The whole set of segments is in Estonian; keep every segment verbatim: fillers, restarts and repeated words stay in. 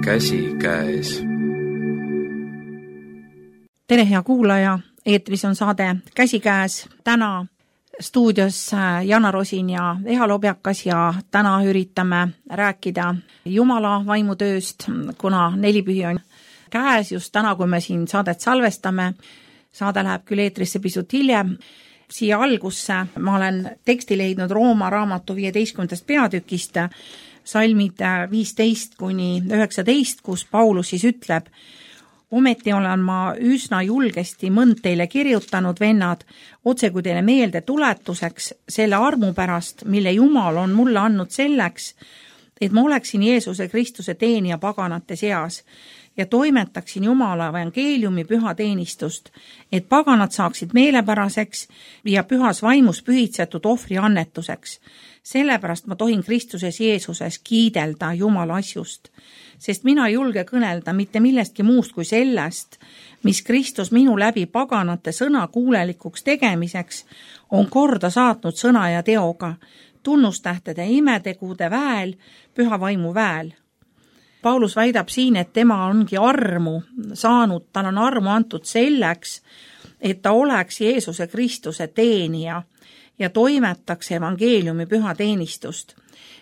käsikäes. Tere, hea kuulaja, eetris on saade Käsikäes. Täna stuudios Jana Rosin ja Eha Lobjakas ja täna üritame rääkida Jumala vaimutööst, kuna nelipühi on käes just täna, kui me siin saadet salvestame. Saade läheb küll eetrisse pisut hiljem. Siia algusse ma olen teksti leidnud Rooma raamatu viieteistkümnendast peatükist, salmid viisteist kuni üheksateist, kus Paulus siis ütleb: ometi olen ma üsna julgesti mõnd teile kirjutanud, vennad, otse kui teile meelde tuletuseks selle armu pärast, mille Jumal on mulle andnud selleks, et ma oleksin Jeesuse Kristuse teenija paganate seas ja toimetaksin Jumala evangeeliumi püha teenistust, et paganad saaksid meelepäraseks ja pühas vaimus pühitsetud ohvri annetuseks. Sellepärast ma tohin Kristuses Jeesuses kiidelda Jumala asjust, sest mina ei julge kõnelda mitte millestki muust kui sellest, mis Kristus minu läbi paganate sõna kuulelikuks tegemiseks on korda saatnud sõna ja teoga, tunnustähtede imetegude väel, püha vaimu väel. Paulus väidab siin, et tema ongi armu saanud, tal on armu antud selleks, et ta oleks Jeesuse Kristuse teenija ja toimetaks evangeeliumi püha teenistust.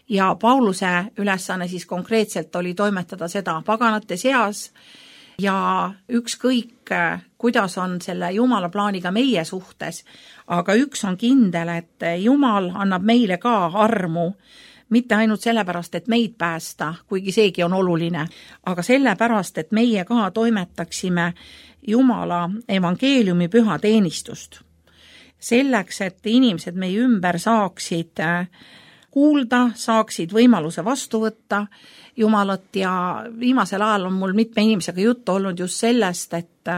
Ja Pauluse ülesanne siis konkreetselt oli toimetada seda paganate seas ja ükskõik, kuidas on selle Jumala plaaniga meie suhtes, aga üks on kindel, et Jumal annab meile ka armu, mitte ainult sellepärast, et meid päästa, kuigi seegi on oluline, aga sellepärast, et meie ka toimetaksime Jumala evangeeliumi püha teenistust. Selleks, et inimesed meie ümber saaksid kuulda, saaksid võimaluse vastu võtta Jumalat ja viimasel ajal on mul mitme inimesega juttu olnud just sellest, et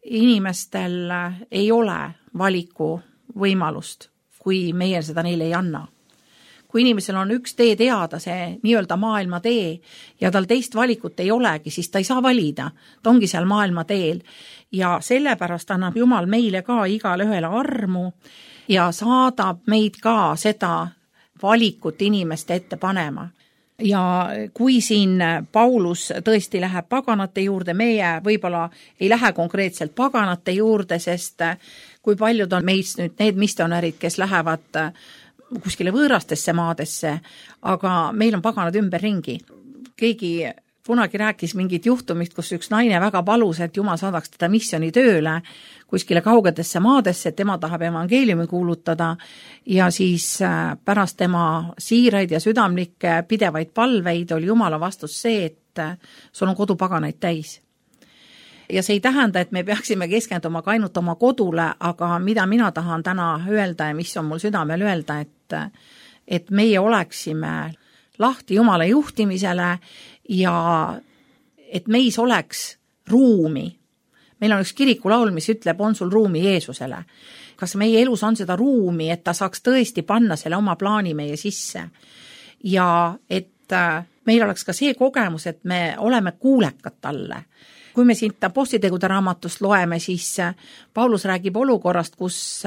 inimestel ei ole valiku võimalust, kui meie seda neile ei anna. Kui inimesel on üks tee teada, see nii-öelda maailma tee, ja tal teist valikut ei olegi, siis ta ei saa valida. Ta ongi seal maailma teel. Ja sellepärast annab Jumal meile ka igale ühele armu ja saadab meid ka seda valikut inimeste ette panema. Ja kui siin Paulus tõesti läheb paganate juurde, meie võib-olla ei lähe konkreetselt paganate juurde, sest kui paljud on meist nüüd need missionärid, kes lähevad kuskile võõrastesse maadesse, aga meil on paganad ümberringi. Keegi kunagi rääkis mingit juhtumist, kus üks naine väga palus, et Jumal saadaks teda missioni tööle kuskile kaugetesse maadesse, et tema tahab evangeeliumi kuulutada ja siis pärast tema siiraid ja südamlikke pidevaid palveid oli Jumala vastus see, et sul on kodu paganaid täis. Ja see ei tähenda, et me peaksime keskenduma ka ainult oma kodule, aga mida mina tahan täna öelda ja mis on mul südamel öelda, et, et meie oleksime lahti Jumala juhtimisele ja et meis oleks ruumi. Meil on üks kirikulaul, mis ütleb, on sul ruumi Jeesusele. Kas meie elus on seda ruumi, et ta saaks tõesti panna selle oma plaani meie sisse ja et meil oleks ka see kogemus, et me oleme kuulekad talle. Kui me siit Apostlitegude raamatust loeme, siis Paulus räägib olukorrast, kus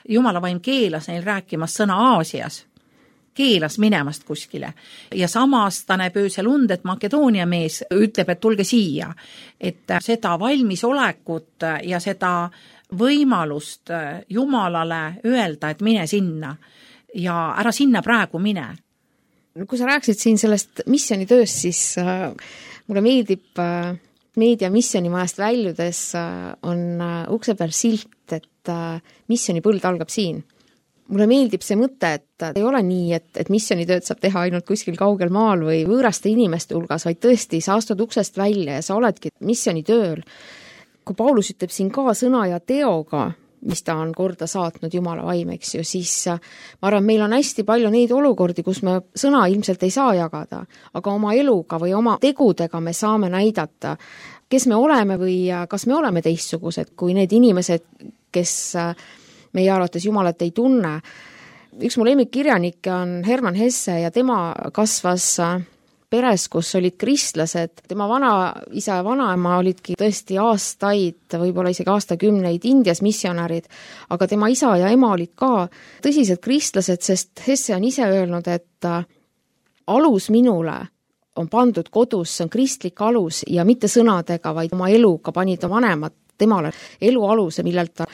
Jumala vaim keelas neil rääkimas sõna Aasias, keelas minemast kuskile. Ja samas ta näeb öösel und, et Makedoonia mees ütleb, et tulge siia. Et seda valmisolekut ja seda võimalust Jumalale öelda, et mine sinna ja ära sinna praegu mine. Kui sa rääksid siin sellest missionitööst, siis äh, mulle meeldib äh, meedia missionimajast väljudes on ukse peal silt, et missionipõld algab siin. Mulle meeldib see mõte, et ei ole nii, et, et missionitööd saab teha ainult kuskil kaugel maal või võõraste inimeste hulgas, vaid tõesti, sa astud uksest välja ja sa oledki missionitööl. Kui Paulus ütleb siin ka sõna ja teoga, mis ta on korda saatnud Jumala vaim, eks ju, siis ma arvan, meil on hästi palju neid olukordi, kus me sõna ilmselt ei saa jagada, aga oma eluga või oma tegudega me saame näidata, kes me oleme või kas me oleme teistsugused kui need inimesed, kes meie arvates Jumalat ei tunne. Üks mu lemmikkirjanikke on Hermann Hesse ja tema kasvas peres, kus olid kristlased. Tema vanaisa ja vanaema olidki tõesti aastaid, võib-olla isegi aastakümneid Indias missionärid, aga tema isa ja ema olid ka tõsised kristlased, sest Hesse on ise öelnud, et alus minule on pandud kodus, see on kristlik alus ja mitte sõnadega, vaid oma eluga panid vanemad temale elu aluse, millelt ta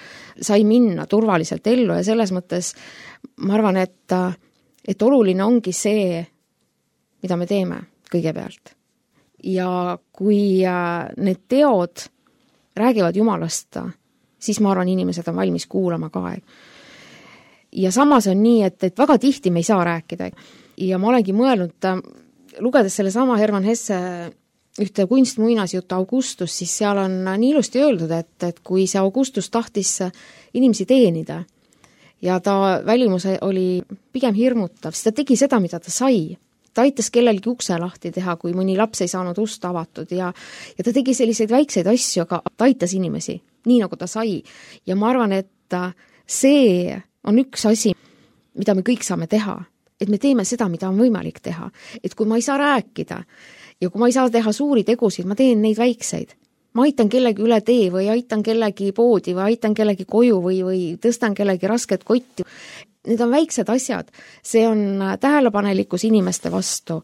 sai minna turvaliselt ellu ja selles mõttes ma arvan, et, et oluline ongi see, mida me teeme kõigepealt. Ja kui need teod räägivad Jumalast, siis ma arvan, inimesed on valmis kuulama ka. Ja samas on nii, et, et väga tihti me ei saa rääkida. Ja ma olengi mõelnud, lugedes selle sama Hermann Hesse ühte kunstmuinasjuttu Augustus, siis seal on nii ilusti öeldud, et, et kui see Augustus tahtis inimesi teenida ja ta välimus oli pigem hirmutav, siis ta tegi seda, mida ta sai. Ta aitas kellelgi ukse lahti teha, kui mõni laps ei saanud ust avatud ja, ja ta tegi selliseid väikseid asju, aga ta aitas inimesi, nii nagu ta sai. Ja ma arvan, et see on üks asi, mida me kõik saame teha, et me teeme seda, mida on võimalik teha. Et kui ma ei saa rääkida ja kui ma ei saa teha suuri tegusid, ma teen neid väikseid. Ma aitan kellegi üle tee või aitan kellegi poodi või aitan kellegi koju või, või tõstan kellegi rasket kotti. Need on väiksed asjad, see on tähelepanelikkus inimeste vastu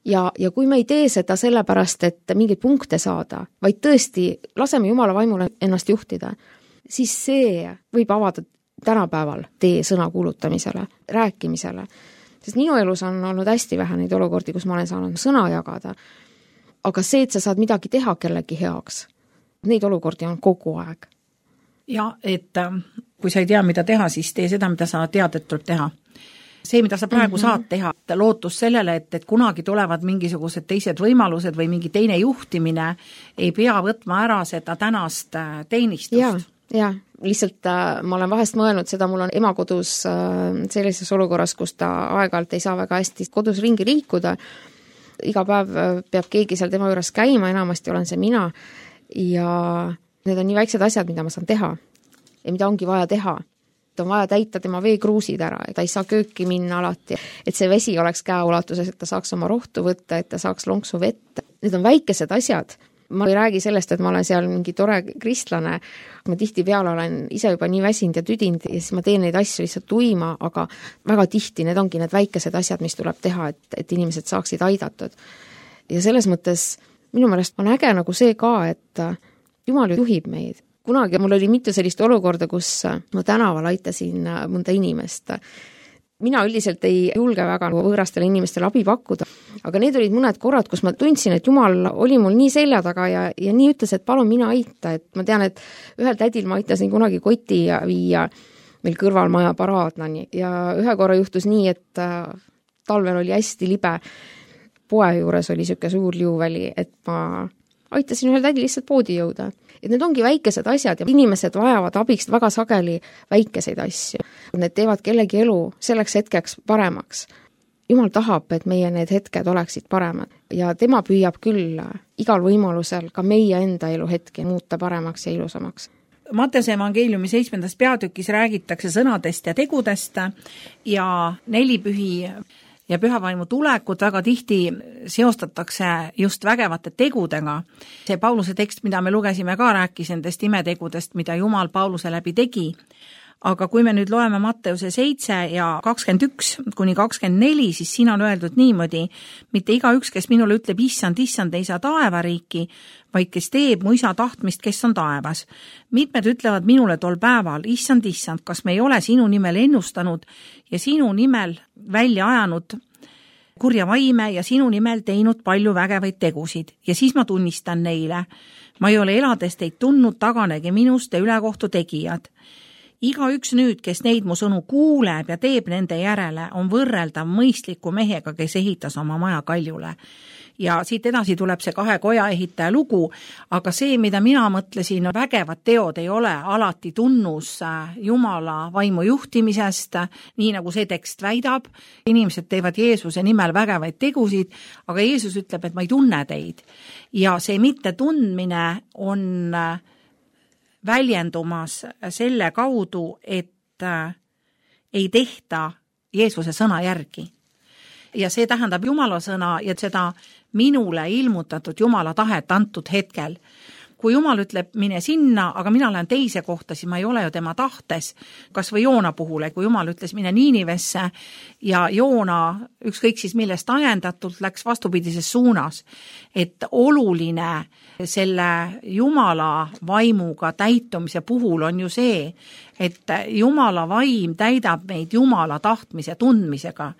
ja, ja kui me ei tee seda sellepärast, et mingeid punkte saada, vaid tõesti laseme Jumala vaimule ennast juhtida, siis see võib avada tänapäeval tee sõna kuulutamisele, rääkimisele. Sest minu elus on olnud hästi vähe neid olukordi, kus ma olen saanud sõna jagada, aga see, et sa saad midagi teha kellegi heaks, neid olukordi on kogu aeg. Ja, et kui sa ei tea, mida teha, siis tee seda, mida sa tead, et tuleb teha. See, mida sa praegu mm-hmm. saad teha, lootus sellele, et, et kunagi tulevad mingisugused teised võimalused või mingi teine juhtimine, ei pea võtma ära seda tänast teenistust. Ja, ja. Lihtsalt äh, ma olen vahest mõelnud seda, mul on ema kodus äh, sellises olukorras, kus ta aeg-ajalt ei saa väga hästi kodus ringi liikuda. Iga päev äh, peab keegi seal tema juures käima, enamasti olen see mina ja need on nii väiksed asjad, mida ma saan teha ja mida ongi vaja teha. Et on vaja täita tema veekruusid ära, et ta ei saa kööki minna alati, et see vesi oleks käeulatuses, et ta saaks oma rohtu võtta, et ta saaks lonksu vett. Need on väikesed asjad. Ma ei räägi sellest, et ma olen seal mingi tore kristlane, ma tihti peale olen ise juba nii väsinud ja tüdinud ja siis ma teen neid asju lihtsalt tuima, aga väga tihti need ongi need väikesed asjad, mis tuleb teha, et, et inimesed saaksid aidatud. Ja selles mõttes minu meelest on äge nagu see ka, et Jumal juhib meid. Kunagi mul oli mitu sellist olukorda, kus ma tänaval aitasin mõnda inimest. Mina üldiselt ei julge väga võõrastele inimestele abi pakkuda, aga need olid mõned korrad, kus ma tundsin, et Jumal oli mul nii selja taga ja, ja nii ütles, et palun mina aita, et ma tean, et ühel tädil ma aitasin kunagi koti viia meil kõrval maja paraadnani ja ühe korra juhtus nii, et talvel oli hästi libe, poe juures oli siuke suur liuväli, et ma aitasin ühel tädil lihtsalt poodi jõuda. Et need ongi väikesed asjad ja inimesed vajavad abist väga sageli väikeseid asju. Need teevad kellegi elu selleks hetkeks paremaks. Jumal tahab, et meie need hetked oleksid paremad ja tema püüab küll igal võimalusel ka meie enda elu hetki muuta paremaks ja ilusamaks. Matteuse evangeeliumi seitsmendas peatükis räägitakse sõnadest ja tegudest ja nelipühi ja pühavaimu tulekut väga tihti seostatakse just vägevate tegudega. See Pauluse tekst, mida me lugesime ka, rääkis nendest imetegudest, mida Jumal Pauluse läbi tegi. Aga kui me nüüd loeme Matteuse seitse ja kakskümmend üks kuni kakskümmend neli, siis siin on öeldud niimoodi, mitte iga üks, kes minule ütleb, issand, issand, ei saa taevariiki, vaid kes teeb mu isa tahtmist, kes on taevas. Mitmed ütlevad minule tol päeval, issand, issand, kas me ei ole sinu nimel ennustanud ja sinu nimel välja ajanud kurja vaime ja sinu nimel teinud palju vägevaid tegusid. Ja siis ma tunnistan neile, ma ei ole elades teid tundnud, taganegi minust ja ülekohtu tegijad. Iga üks nüüd, kes neid mu sõnu kuuleb ja teeb nende järele, on võrreldav mõistliku mehega, kes ehitas oma maja kaljule. Ja siit edasi tuleb see kahe koja ehitaja lugu, aga see, mida mina mõtlesin, vägevad teod ei ole alati tunnus Jumala vaimu juhtimisest, nii nagu see tekst väidab. Inimesed teevad Jeesuse nimel vägevaid tegusid, aga Jeesus ütleb, et ma ei tunne teid. Ja see mitte tundmine on väljendumas selle kaudu, et ei tehta Jeesuse sõna järgi. Ja see tähendab Jumala sõna ja seda minule ilmutatud Jumala tahet antud hetkel. kui Jumal ütleb, mine sinna, aga mina lähen teise kohta, siis ma ei ole ju tema tahtes, kas või Joona puhul, kui Jumal ütles, mine Niinivesse ja Joona, ükskõik siis millest ajendatult, läks vastupidises suunas. Et oluline selle Jumala vaimuga täitumise puhul on ju see, et Jumala vaim täidab meid Jumala tahtmise tundmisega.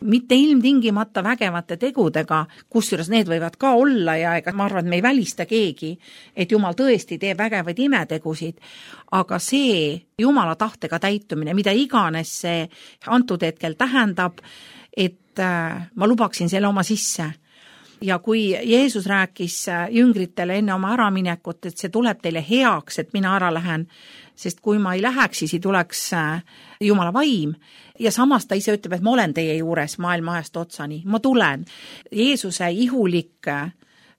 Mitte ilmtingimata vägevate tegudega, kusjuures need võivad ka olla ja ega ma arvan, et me ei välista keegi, et Jumal tõesti teeb vägevaid imetegusid, aga see Jumala tahtega täitumine, mida iganes see antud hetkel tähendab, et ma lubaksin selle oma sisse. Ja kui Jeesus rääkis jüngritele enne oma äraminekut, et see tuleb teile heaks, et mina ära lähen, sest kui ma ei läheks, siis ei tuleks Jumala vaim. Ja samas ta ise ütleb, et ma olen teie juures maailma ajast otsani, ma tulen. Jeesuse ihulik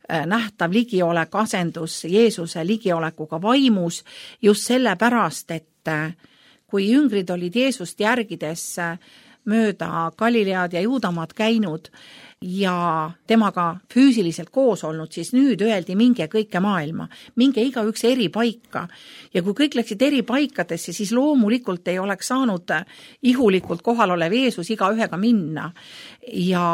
nähtav ligiolek asendus Jeesuse ligiolekuga vaimus just sellepärast, et kui jüngrid olid Jeesust järgides mööda Galilead ja Juudamaad käinud ja temaga füüsiliselt koos olnud, siis nüüd öeldi minge kõike maailma, minge igaüks eri paika. Ja kui kõik läksid eri paikadesse, siis loomulikult ei oleks saanud ihulikult kohal olev Jeesus iga ühega minna. Ja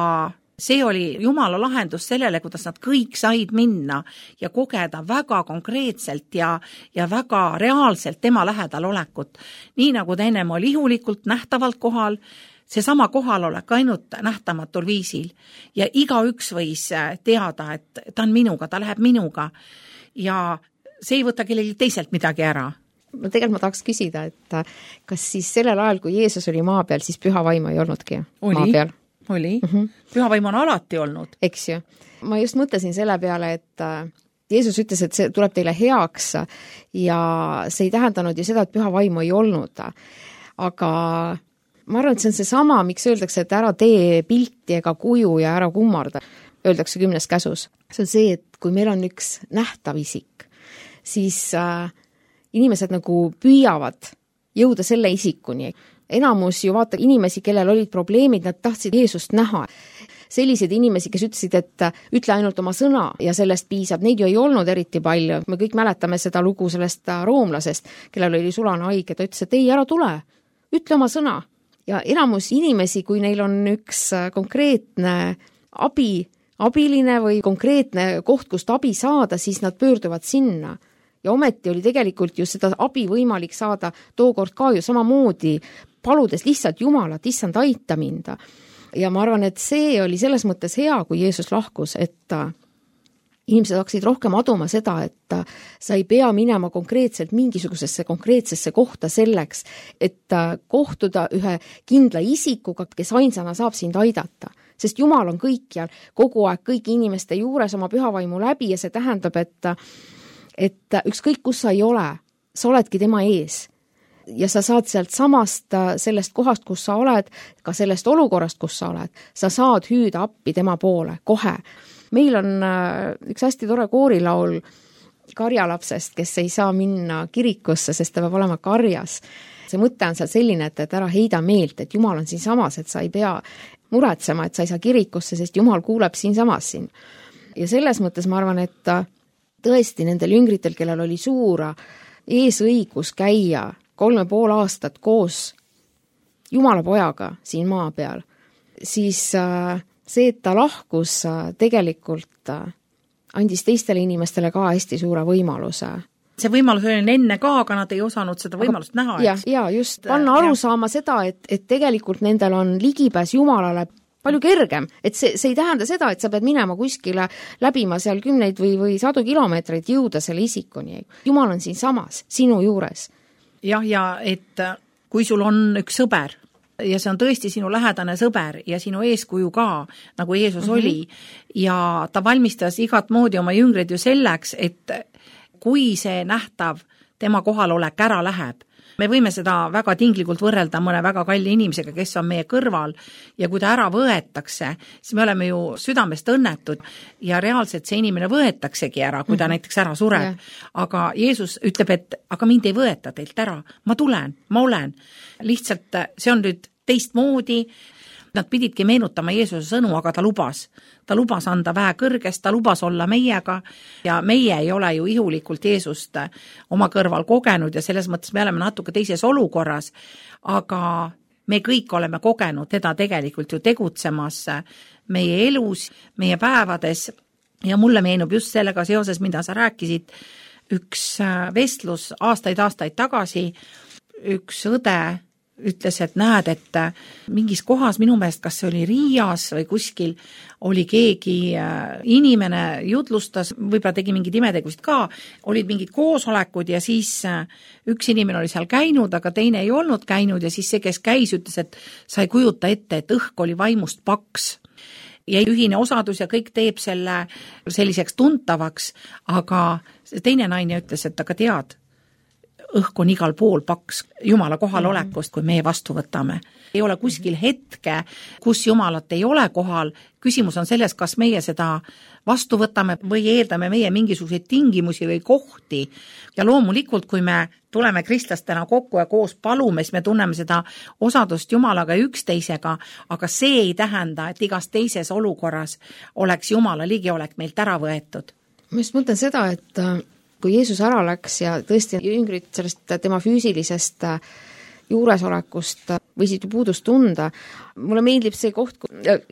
see oli Jumala lahendus sellele, kuidas nad kõik said minna ja kogeda väga konkreetselt ja, ja väga reaalselt tema lähedal olekut. Nii nagu ta ennem oli ihulikult nähtavalt kohal, see sama kohalolek ainult nähtamatul viisil ja igaüks võis teada, et ta on minuga, ta läheb minuga ja see ei võta kellelgi teiselt midagi ära. Tegelikult ma tahaks küsida, et kas siis sellel ajal, kui Jeesus oli maa peal, siis püha vaim ei olnudki oli, maa peal? Oli, mm-hmm. Püha vaim on alati olnud. Eks ju. Ma just mõtlesin selle peale, et Jeesus ütles, et see tuleb teile heaks ja see ei tähendanud ju seda, et püha vaimu ei olnud. Aga ma arvan, et see on see sama, miks öeldakse, et ära tee pilti ega kuju ja ära kummarda, öeldakse kümnes käsus. See on see, et kui meil on üks nähtav isik, siis äh, inimesed nagu püüavad jõuda selle isikuni. Enamus ju vaata inimesi, kellel olid probleemid, nad tahtsid Jeesust näha. Sellised inimesi, kes ütlesid, et ütle ainult oma sõna ja sellest piisab, neid ju ei olnud eriti palju. Me kõik mäletame seda lugu sellest roomlasest, kellel oli sulane haige, ta ütles, et ei, ära tule, ütle oma sõna. Ja enamus inimesi, kui neil on üks konkreetne abi, abiline või konkreetne koht, kust abi saada, siis nad pöörduvad sinna. Ja ometi oli tegelikult ju seda abi võimalik saada tookord ka ju samamoodi, paludes lihtsalt Jumalat, issand aita minda. Ja ma arvan, et see oli selles mõttes hea, kui Jeesus lahkus, et inimesed hakkasid rohkem aduma seda, et sa ei pea minema konkreetselt mingisugusesse konkreetsesse kohta selleks, et kohtuda ühe kindla isikuga, kes ainsana saab sind aidata. Sest Jumal on kõikjal, kogu aeg kõigi inimeste juures oma pühavaimu läbi ja see tähendab, et, et ükskõik kus sa ei ole, sa oledki tema ees. Ja sa saad sealt samast sellest kohast, kus sa oled, ka sellest olukorrast, kus sa oled, sa saad hüüda appi tema poole kohe. Meil on üks hästi tore koorilaul karjalapsest, kes ei saa minna kirikusse, sest ta peab olema karjas. See mõte on seal selline, et, et ära heida meelt, et Jumal on siin samas, et sa ei pea muretsema, et sa ei saa kirikusse, sest Jumal kuuleb siin samas siin. Ja selles mõttes ma arvan, et tõesti nendel jüngritel, kellel oli suur eesõigus käia kolme pool aastat koos Jumala pojaga siin maa peal, siis see, et ta lahkus, tegelikult andis teistele inimestele ka hästi suure võimaluse. See võimalus oli enne ka, aga nad ei osanud seda võimalust aga, näha. Ja, ja just, panna aru ja. Saama seda, et, et tegelikult nendel on ligipääs Jumalale palju kergem. Et see, see ei tähenda seda, et sa pead minema kuskile läbima seal kümneid või, või sadu kilomeetreid jõuda selle isikuni. Jumal on siin samas, sinu juures. Jah, ja et kui sul on üks sõber, ja see on tõesti sinu lähedane sõber ja sinu eeskuju ka, nagu Jeesus mm-hmm. oli, ja ta valmistas igat moodi oma jüngrid ju selleks, et kui see nähtav tema kohalolek ära läheb, me võime seda väga tinglikult võrrelda mõne väga kalli inimesega, kes on meie kõrval ja kui ta ära võetakse, siis me oleme ju südamest õnnetud ja reaalselt see inimene võetaksegi ära, kui ta mm-hmm. näiteks ära sureb. Yeah. Aga Jeesus ütleb, et aga mind ei võeta teilt ära, ma tulen, ma olen. Lihtsalt see on nüüd teistmoodi. Nad pididki meenutama Jeesuse sõnu, aga ta lubas. Ta lubas anda vähe kõrgest, ta lubas olla meiega ja meie ei ole ju ihulikult Jeesust oma kõrval kogenud ja selles mõttes me oleme natuke teises olukorras, aga me kõik oleme kogenud teda tegelikult ju tegutsemas meie elus, meie päevades ja mulle meenub just sellega seoses, mida sa rääkisid, üks vestlus aastaid-aastaid tagasi, üks õde ütles, et näed, et mingis kohas, minu meelest, kas see oli Riias või kuskil, oli keegi inimene, jutlustas, võib-olla tegi mingid imetegusid ka, olid mingid koosolekud ja siis üks inimene oli seal käinud, aga teine ei olnud käinud ja siis see, kes käis, ütles, et sa ei kujuta ette, et õhk oli vaimust paks. Ja ühine osadus ja kõik teeb selle selliseks tuntavaks, aga teine naine ütles, et aga tead, õhk on igal pool paks Jumala kohalolekust, kui meie vastu võtame. Ei ole kuskil hetke, kus Jumalat ei ole kohal. Küsimus on selles, kas meie seda vastu võtame või eeldame meie mingisuguseid tingimusi või kohti. Ja loomulikult, kui me tuleme kristlastena kokku ja koos palume, siis me tunneme seda osadust Jumalaga ja üksteisega, aga see ei tähenda, et igas teises olukorras oleks Jumala ligiolek meilt ära võetud. Ma just mõtlen seda, et kui Jeesus ära läks ja tõesti jüngrid sellest tema füüsilisest juuresolekust võisid ju puudust tunda. Mulle meeldib see koht,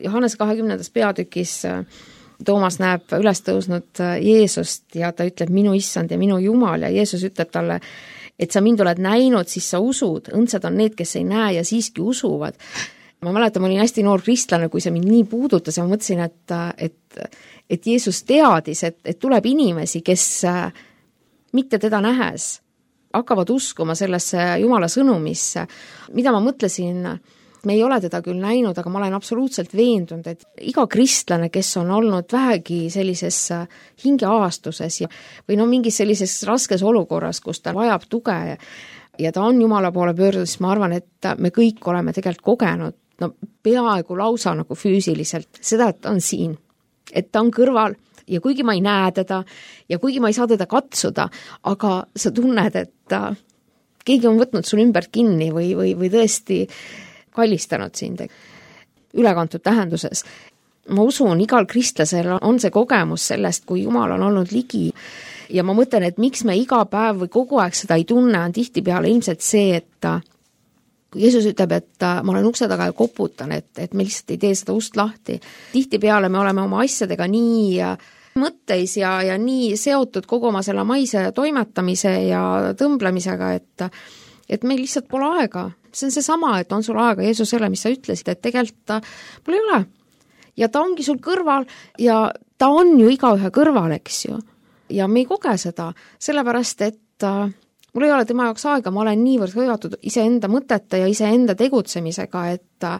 Johannes kahekümnendas peatükis Toomas näeb üles tõusnud Jeesust ja ta ütleb minu issand ja minu Jumal ja Jeesus ütleb talle, et sa mind oled näinud, siis sa usud, õndsad on need, kes ei näe ja siiski usuvad. Ma mäletan, ma olin hästi noor kristlane, kui see mind nii puudutas ja ma mõtlesin, et, et, et Jeesus teadis, et, et tuleb inimesi, kes mitte teda nähes, hakkavad uskuma sellesse Jumala sõnumisse. Mida ma mõtlesin, me ei ole teda küll näinud, aga ma olen absoluutselt veendunud, et iga kristlane, kes on olnud vähegi sellises hingeaastuses ja, või no mingis sellises raskes olukorras, kus ta vajab tuge ja, ja ta on Jumala poole pöördunud, siis ma arvan, et me kõik oleme tegelikult kogenud, no peaaegu lausa nagu füüsiliselt, seda, et ta on siin, et ta on kõrval ja kuigi ma ei näe teda ja kuigi ma ei saa teda katsuda, aga sa tunned, et keegi on võtnud sul ümber kinni või, või, või tõesti kallistanud sind ülekantud tähenduses. Ma usun, igal kristlasel on see kogemus sellest, kui Jumal on olnud ligi ja ma mõtlen, et miks me iga päev või kogu aeg seda ei tunne, on tihtipeale ilmselt see, et kui Jeesus ütleb, et ma olen ukse taga ja koputan, et, et me lihtsalt ei tee seda ust lahti. Tihtipeale me oleme oma asjadega nii mõtteis ja, ja nii seotud kogu oma selle maise toimetamise ja tõmblemisega, et, et meil lihtsalt pole aega. See on see sama, et on sul aega Jeesusele, mis sa ütlesid, et tegelikult mul ei ole. Ja ta ongi sul kõrval ja ta on ju igaühe kõrval, eks ju. Ja me ei koge seda, sellepärast, et mul ei ole tema jaoks aega, ma olen niivõrd hõivatud iseenda mõtete ja iseenda tegutsemisega, et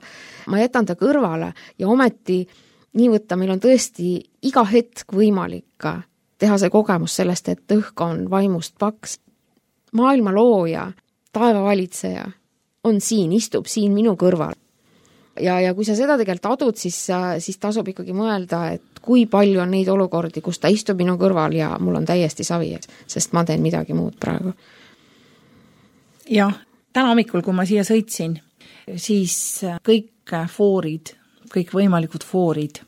ma jätan ta kõrvale ja ometi nii võtta, meil on tõesti iga hetk võimalik teha see kogemus sellest, et õhk on vaimust paks. Maailma looja, taeva valitseja on siin, istub siin minu kõrval. Ja, ja kui sa seda tegelikult adud, siis, siis tasub ikkagi mõelda, et kui palju on neid olukordi, kus ta istub minu kõrval ja mul on täiesti savi, sest ma teen midagi muud praegu. Jah, täna hommikul, kui ma siia sõitsin, siis kõik foorid, kõik võimalikud foorid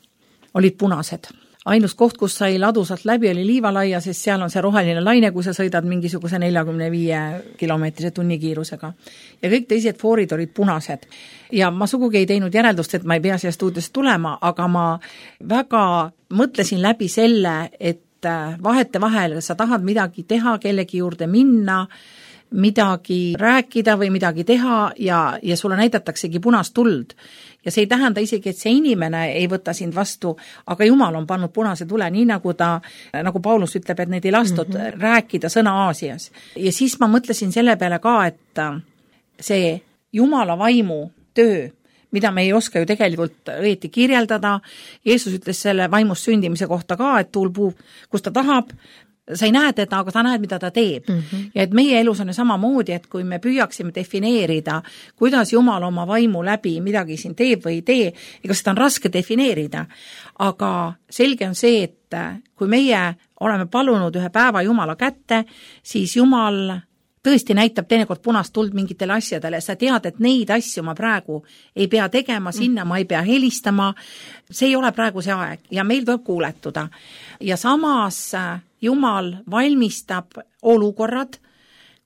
olid punased. Ainus koht, kus sai ladusalt läbi, oli Liivalaia, sest seal on see roheline laine, kui sa sõidad mingisuguse neljakümne viie kilomeetrise tunnikiirusega. Ja kõik teised foorid olid punased. Ja ma sugugi ei teinud järeldust, et ma ei pea siia stuudiosse tulema, aga ma väga mõtlesin läbi selle, et vahete vahel sa tahad midagi teha, kellegi juurde minna, midagi rääkida või midagi teha ja, ja sulle näidataksegi punast tuld. Ja see ei tähenda isegi, et see inimene ei võta sind vastu, aga Jumal on pannud punase tule, nii nagu ta, nagu Paulus ütleb, et neid ei lastud mm-hmm. rääkida sõna Aasias. Ja siis ma mõtlesin selle peale ka, et see Jumala vaimu töö, mida me ei oska ju tegelikult õieti kirjeldada, Jeesus ütles selle vaimust sündimise kohta ka, et tuul puub, kus ta tahab, sa ei näe teda, aga sa näed, mida ta teeb. Mm-hmm. Ja et meie elus on samamoodi, et kui me püüaksime defineerida, kuidas Jumal oma vaimu läbi midagi siin teeb või ei tee, ega seda on raske defineerida. Aga selge on see, et kui meie oleme palunud ühe päeva Jumala kätte, siis Jumal tõesti näitab teinekord punast tuld mingitele asjadele, sa tead, et neid asju ma praegu ei pea tegema, sinna ma ei pea helistama, see ei ole praegu see aeg ja meil tuleb kuuletuda. Ja samas Jumal valmistab olukorrad,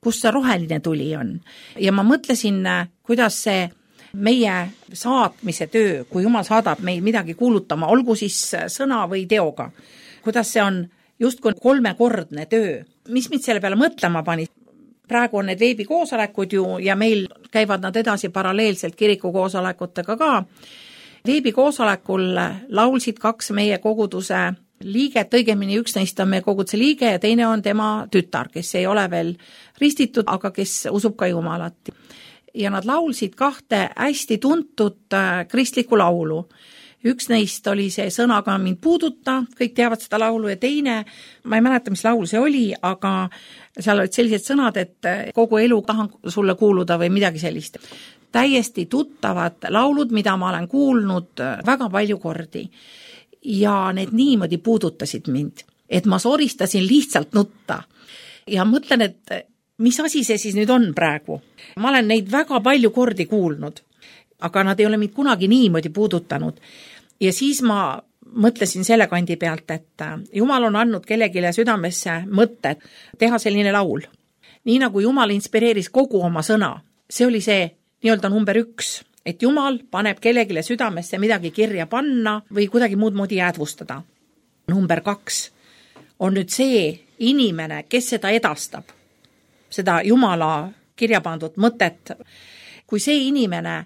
kus see roheline tuli on. Ja ma mõtlesin, kuidas see meie saatmise töö, kui Jumal saadab meid midagi kuulutama, olgu siis sõna või teoga, kuidas see on justkui kolmekordne töö. Mis mind selle peale mõtlema pani? Praegu on need veebikoosolekud ju ja meil käivad nad edasi paralleelselt kirikukoosolekutega ka. Veebikoosolekul laulsid kaks meie koguduse liiget, õigemini üks neist on meie koguduse liige ja teine on tema tütar, kes ei ole veel ristitud, aga kes usub ka Jumalat. Ja nad laulsid kahte hästi tuntud kristlikku laulu. Üks neist oli see Sõnaga mind puuduta, kõik teavad seda laulu ja teine, ma ei mäleta, mis laul see oli, aga seal olid sellised sõnad, et kogu elu tahan sulle kuuluda või midagi sellist. Täiesti tuttavad laulud, mida ma olen kuulnud väga palju kordi ja need niimoodi puudutasid mind, et ma soristasin lihtsalt nutta ja mõtlen, et mis asi see siis nüüd on praegu. Ma olen neid väga palju kordi kuulnud, aga nad ei ole mind kunagi niimoodi puudutanud. Ja siis ma mõtlesin selle kandi pealt, et Jumal on andnud kellegile südamesse mõtte teha selline laul. Nii nagu Jumal inspireeris kogu oma sõna, see oli see nii-öelda number üks, et Jumal paneb kellegile südamesse midagi kirja panna või kuidagi muud moodi jäädvustada. Number kaks on nüüd see inimene, kes seda edastab, seda Jumala kirja pandud mõtet. Kui see inimene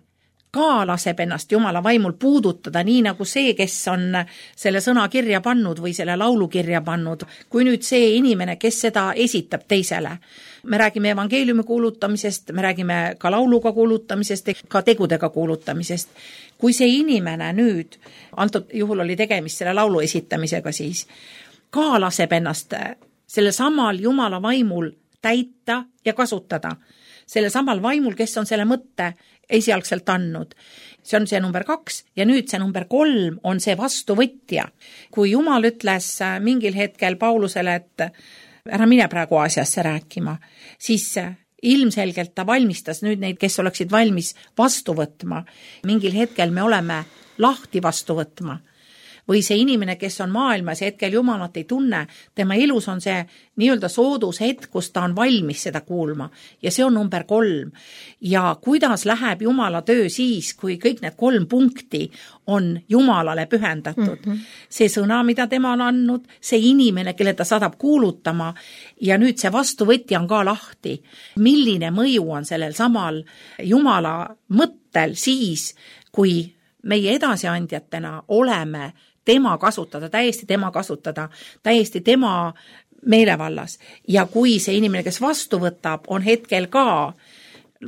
ka laseb ennast Jumala vaimul puudutada, nii nagu see, kes on selle sõna kirja pannud või selle laulu kirja pannud, kui nüüd see inimene, kes seda esitab teisele. Me räägime evangeeliumi kuulutamisest, me räägime ka lauluga kuulutamisest, ka tegudega kuulutamisest. Kui see inimene nüüd, antud juhul oli tegemist selle laulu esitamisega siis, ka laseb ennast selle samal Jumala vaimul täita ja kasutada, selle samal vaimul, kes on selle mõtte esialgselt andnud. See on see number kaks ja nüüd see number kolm on see vastuvõtja. Kui Jumal ütles mingil hetkel Paulusele, et ära mine praegu Aasiasse rääkima, siis ilmselgelt ta valmistas nüüd neid, kes oleksid valmis vastu võtma. Mingil hetkel me oleme lahti vastu võtma. Või see inimene, kes on maailmas ja hetkel Jumalat ei tunne, tema elus on see nii-öelda soodus hetk, kus ta on valmis seda kuulma. Ja see on number kolm. Ja kuidas läheb Jumala töö siis, kui kõik need kolm punkti on Jumalale pühendatud. Mm-hmm. See sõna, mida tema on andnud, see inimene, kelle ta saadab kuulutama ja nüüd see vastuvõtja on ka lahti. Milline mõju on sellel samal Jumala mõttel siis, kui meie edasiandjatena oleme tema kasutada, täiesti tema kasutada, täiesti tema meelevallas. Ja kui see inimene, kes vastu võtab, on hetkel ka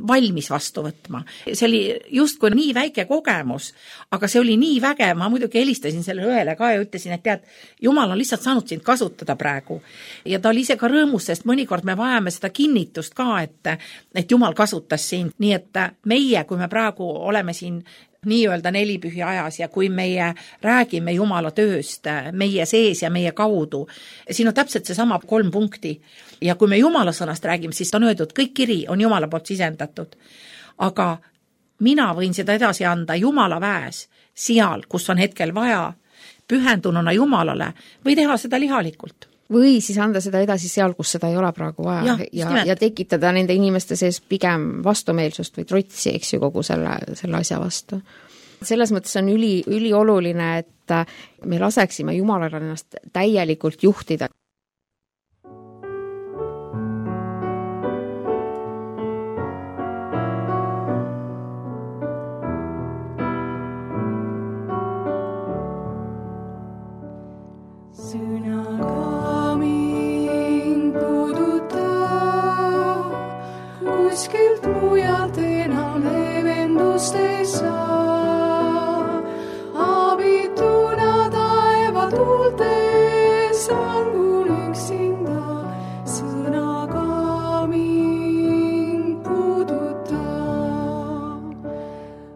valmis vastu võtma. See oli justkui nii väike kogemus, aga see oli nii vägev. Ma muidugi helistasin selle õele ka ja ütlesin, et tead, Jumal on lihtsalt saanud sind kasutada praegu. Ja ta oli ise ka rõõmus, sest mõnikord me vajame seda kinnitust ka, et, et Jumal kasutas sind. Nii et meie, kui me praegu oleme siin nii-öelda nelipühi ajas ja kui meie räägime Jumala tööst meie sees ja meie kaudu, siin on täpselt see sama kolm punkti. Ja kui me Jumala sõnast räägime, siis on öeldud, kõik kiri on Jumala poolt sisendatud. Aga mina võin seda edasi anda Jumala väes, seal, kus on hetkel vaja, pühendununa Jumalale või teha seda lihalikult. Või siis anda seda edasi seal, kus seda ei ole praegu vaja ja, ja, ja tekitada nende inimeste sees pigem vastumeelsust või trotsi, eks ju, kogu selle, selle asja vastu. Selles mõttes on üli, üli oluline, et me laseksime Jumalale ennast täielikult juhtida. Kuskilt mujalt enam leevendust ei saa. Abituna taeva tuultes langun üksinda. Sõnaga mind puuduta.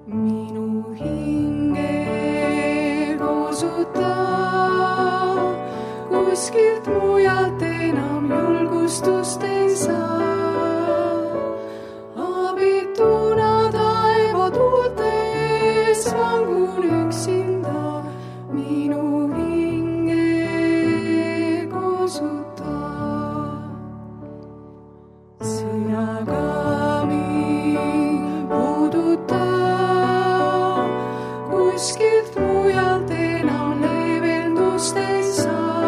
Minu hinge koosuta. Kuskilt mujalt enam julgustust ei saa. kuskilt mujalt enam leevendust ei saa.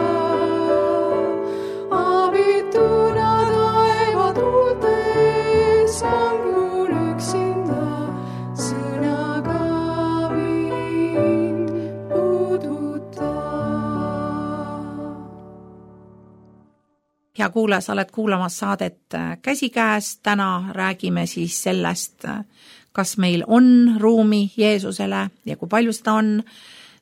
Abituna taeva tuultes vanglun üksinda, sõnaga mind puuduta. Hea kuulaja, sa oled kuulamas saadet Käsikäes. Täna räägime siis sellest, kas meil on ruumi Jeesusele ja kui palju seda on.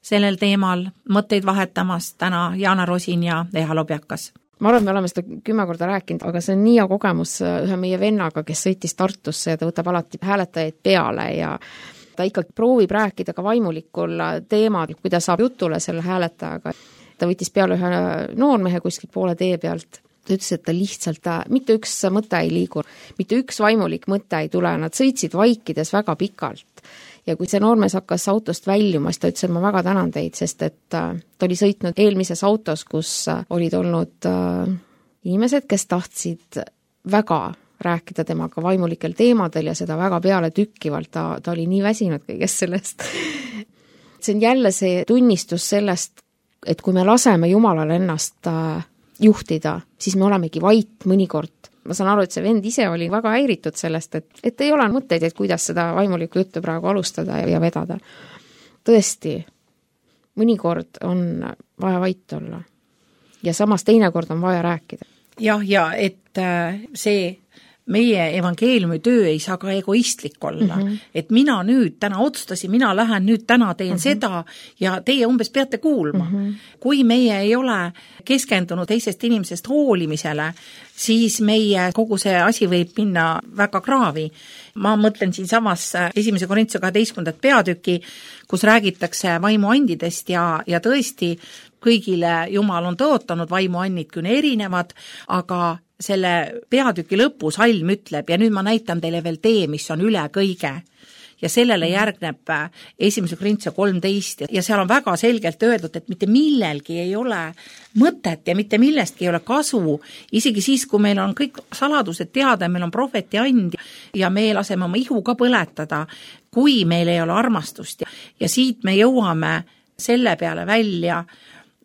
Sellel teemal mõtteid vahetamas täna Jaana Rosin ja Eha Lobjakas. Ma arvan, et me oleme seda kümme korda rääkinud, aga see on nii hea kogemus ühe meie vennaga, kes sõitis Tartusse ja ta võtab alati hääletajaid peale ja ta ikkagi proovib rääkida ka vaimulikul teemal, kui ta saab jutule selle hääletajaga. Ta võttis peale ühe noormehe kuskilt poole tee pealt. Ta ütles, et ta lihtsalt, mitte üks mõte ei liigu, mitte üks vaimulik mõte ei tule, nad sõitsid vaikides väga pikalt. Ja kui see noormees hakkas autost väljuma, siis ta ütles, et ma väga tänan teid, sest et ta oli sõitnud eelmises autos, kus olid olnud inimesed, kes tahtsid väga rääkida temaga vaimulikel teemadel ja seda väga peale tükkivalt, ta, ta oli nii väsinud kõigest sellest. See on jälle see tunnistus sellest, et kui me laseme Jumalal ennast juhtida, siis me olemegi vait mõnikord. Ma saan aru, et see vend ise oli väga häiritud sellest, et, et ei ole mõtteid, et kuidas seda vaimulikku juttu praegu alustada ja vedada. Tõesti, mõnikord on vaja vait olla ja samas teinekord on vaja rääkida. Jah, ja et see meie evangeeliumi töö ei saa ka egoistlik olla, mm -hmm. et mina nüüd täna otsustasin, mina lähen nüüd täna teen mm -hmm. seda ja teie umbes peate kuulma. Mm -hmm. Kui meie ei ole keskendunud teisest inimesest hoolimisele, siis meie kogu see asi võib minna väga kraavi. Ma mõtlen siin samas esimese Korintuse kaheteistkümnendat peatüki, kus räägitakse vaimuandidest ja, ja tõesti kõigile Jumal on tõotanud, vaimuannid küll erinevad, aga selle peatüki lõpus salm ütleb ja nüüd ma näitan teile veel tee, mis on üle kõige. Ja sellele järgneb esimese Korintuse kolmteist ja seal on väga selgelt öeldud, et mitte millelgi ei ole mõtet ja mitte millestki ei ole kasu, isegi siis, kui meil on kõik saladused teada, meil on prohveti and ja me laseme oma ihu ka põletada, kui meil ei ole armastust. Ja siit me jõuame selle peale välja,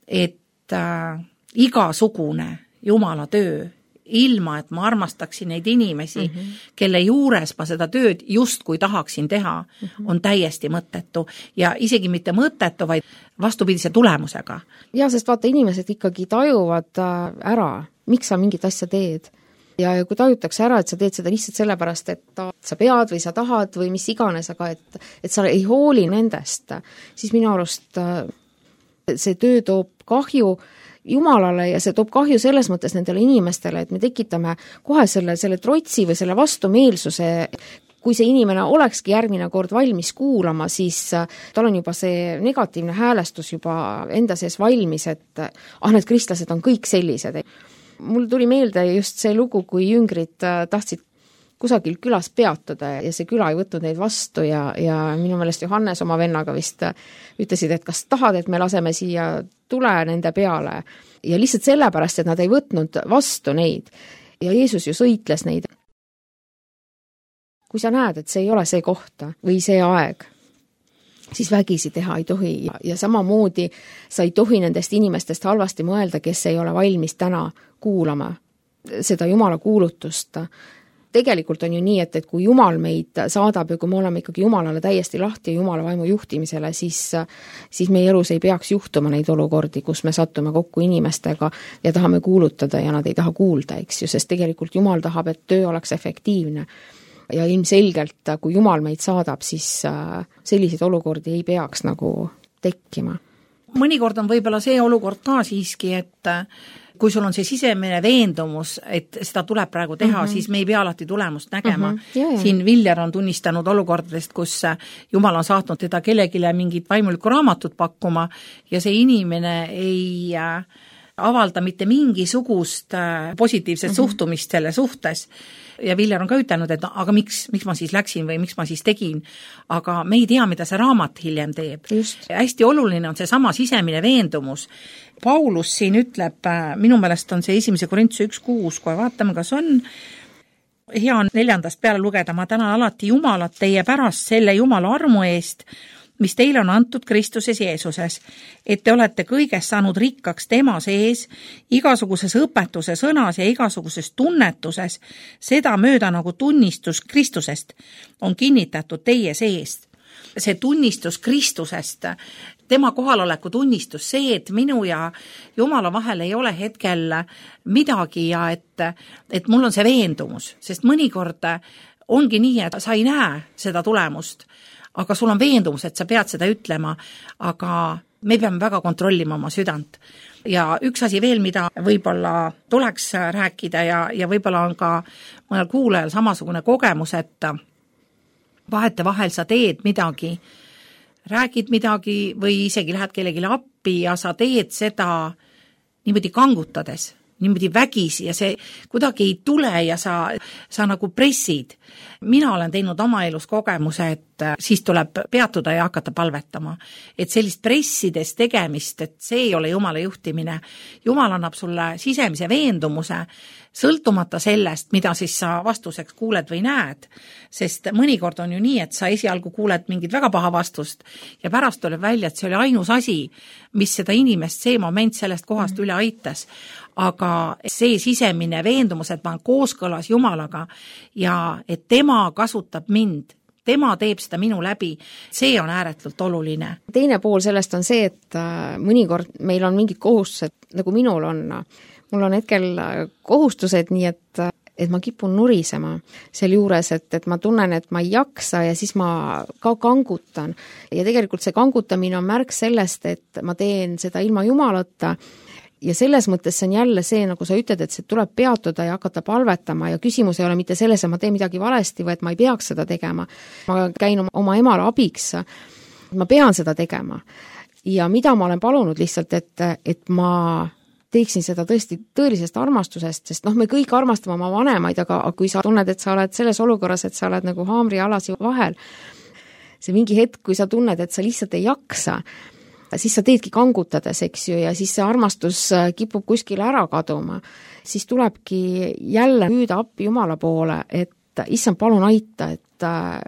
et äh, igasugune Jumala töö, ilma, et ma armastaksin neid inimesi, mm -hmm. kelle juures ma seda tööd just kui tahaksin teha, mm -hmm. on täiesti mõttetu ja isegi mitte mõttetu, vaid vastupidise tulemusega. Ja, sest vaata, inimesed ikkagi tajuvad ära, miks sa mingit asja teed. Ja kui tajutakse ära, et sa teed seda lihtsalt sellepärast, et sa pead või sa tahad või mis iganes, aga et, et sa ei hooli nendest, siis minu arust see töö toob kahju Jumalale ja see toob kahju selles mõttes nendele inimestele, et me tekitame kohe selle, selle trotsi või selle vastumeelsuse. Kui see inimene olekski järgmine kord valmis kuulama, siis tal on juba see negatiivne häälestus juba enda sees valmis, et ah, need kristlased on kõik sellised. Mul tuli meelde just see lugu, kui jüngrid tahtsid kusagil külas peatuda ja see küla ei võtnud neid vastu ja, ja minu meelest Johannes oma vennaga vist ütlesid, et kas tahad, et me laseme siia tule nende peale ja lihtsalt sellepärast, et nad ei võtnud vastu neid ja Jeesus ju sõitles neid. Kui sa näed, et see ei ole see koht või see aeg, siis vägisi teha ei tohi ja, ja samamoodi sa ei tohi nendest inimestest halvasti mõelda, kes ei ole valmis täna kuulama seda Jumala kuulutust. Tegelikult on ju nii, et, et kui Jumal meid saadab ja kui me oleme ikkagi Jumalale täiesti lahti ja Jumala vaimu juhtimisele, siis, siis meie elus ei peaks juhtuma neid olukordi, kus me sattume kokku inimestega ja tahame kuulutada ja nad ei taha kuulda, eks ju, sest tegelikult Jumal tahab, et töö oleks efektiivne. Ja ilmselgelt, kui Jumal meid saadab, siis selliseid olukordi ei peaks nagu tekkima. Mõnikord on võib-olla see olukord ka siiski, et kui sul on see sisemine veendumus, et seda tuleb praegu teha, mm -hmm. siis me ei pea alati tulemust nägema. Mm -hmm. yeah, yeah. Siin Viljar on tunnistanud olukordadest, kus Jumal on saatnud teda kellegile mingit vaimulikku raamatut pakkuma ja see inimene ei avalda mitte mingisugust positiivset mm -hmm. suhtumist selle suhtes. Ja Viljar on ka ütelnud, et aga miks, miks ma siis läksin või miks ma siis tegin, aga me ei tea, mida see raamat hiljem teeb. Hästi oluline on see sama sisemine veendumus. Paulus siin ütleb, minu meelest on see esimese Korintuse üks kuus, kui vaatame, kas on hea neljandast peale lugeda, ma tänan alati Jumalat teie pärast selle Jumala armu eest, mis teile on antud Kristuses Jeesuses, et te olete kõigest saanud rikkaks tema sees, igasuguses õpetuse sõnas ja igasuguses tunnetuses, seda mööda nagu tunnistus Kristusest on kinnitatud teie seest. See tunnistus Kristusest, tema kohaloleku tunnistus, see, et minu ja Jumala vahel ei ole hetkel midagi ja et, et mul on see veendumus, sest mõnikord ongi nii, et sa ei näe seda tulemust, aga sul on veendumus, et sa pead seda ütlema, aga me peame väga kontrollima oma südant. Ja üks asi veel, mida võib-olla tuleks rääkida ja, ja võib-olla on ka mõnel kuulajal samasugune kogemus, et vahete vahel sa teed midagi, räägid midagi või isegi lähed kellelegi appi ja sa teed seda niimoodi kangutades, niimoodi vägisi ja see kuidagi ei tule ja sa, sa nagu pressid. Mina olen teinud oma elus kogemuse, et siis tuleb peatuda ja hakata palvetama. Et sellist pressides tegemist, et see ei ole Jumala juhtimine. Jumal annab sulle sisemise veendumuse, sõltumata sellest, mida siis sa vastuseks kuuled või näed. Sest mõnikord on ju nii, et sa esialgu kuuled mingit väga paha vastust ja pärast tuleb välja, et see oli ainus asi, mis seda inimest see moment sellest kohast mm. üle aitas. Aga see sisemine veendumus, et ma olen kooskõlas Jumalaga ja et tema kasutab mind, tema teeb seda minu läbi, see on ääretult oluline. Teine pool sellest on see, et mõnikord meil on mingid kohustused, nagu minul on. Mul on hetkel kohustused, nii et, et ma kipun nurisema seal juures, et, et ma tunnen, et ma ei jaksa ja siis ma ka kangutan. Ja tegelikult see kangutamine on märk sellest, et ma teen seda ilma Jumalata. Ja selles mõttes see on jälle see, nagu sa ütled, et see tuleb peatuda ja hakata palvetama ja küsimus ei ole mitte selles, et ma teen midagi valesti või et ma ei peaks seda tegema. Ma käin oma emale abiks, ma pean seda tegema. Ja mida ma olen palunud lihtsalt, et, et ma teeksin seda tõesti tõelisest armastusest, sest noh, me kõik armastame oma vanemaid, aga kui sa tunned, et sa oled selles olukorras, et sa oled nagu haamri alasi vahel, see mingi hetk, kui sa tunned, et sa lihtsalt ei jaksa, siis sa teedki kangutades, eks ju, ja siis see armastus kipub kuskile ära kaduma. Siis tulebki jälle püüda appi Jumala poole, et issand, palun aita, et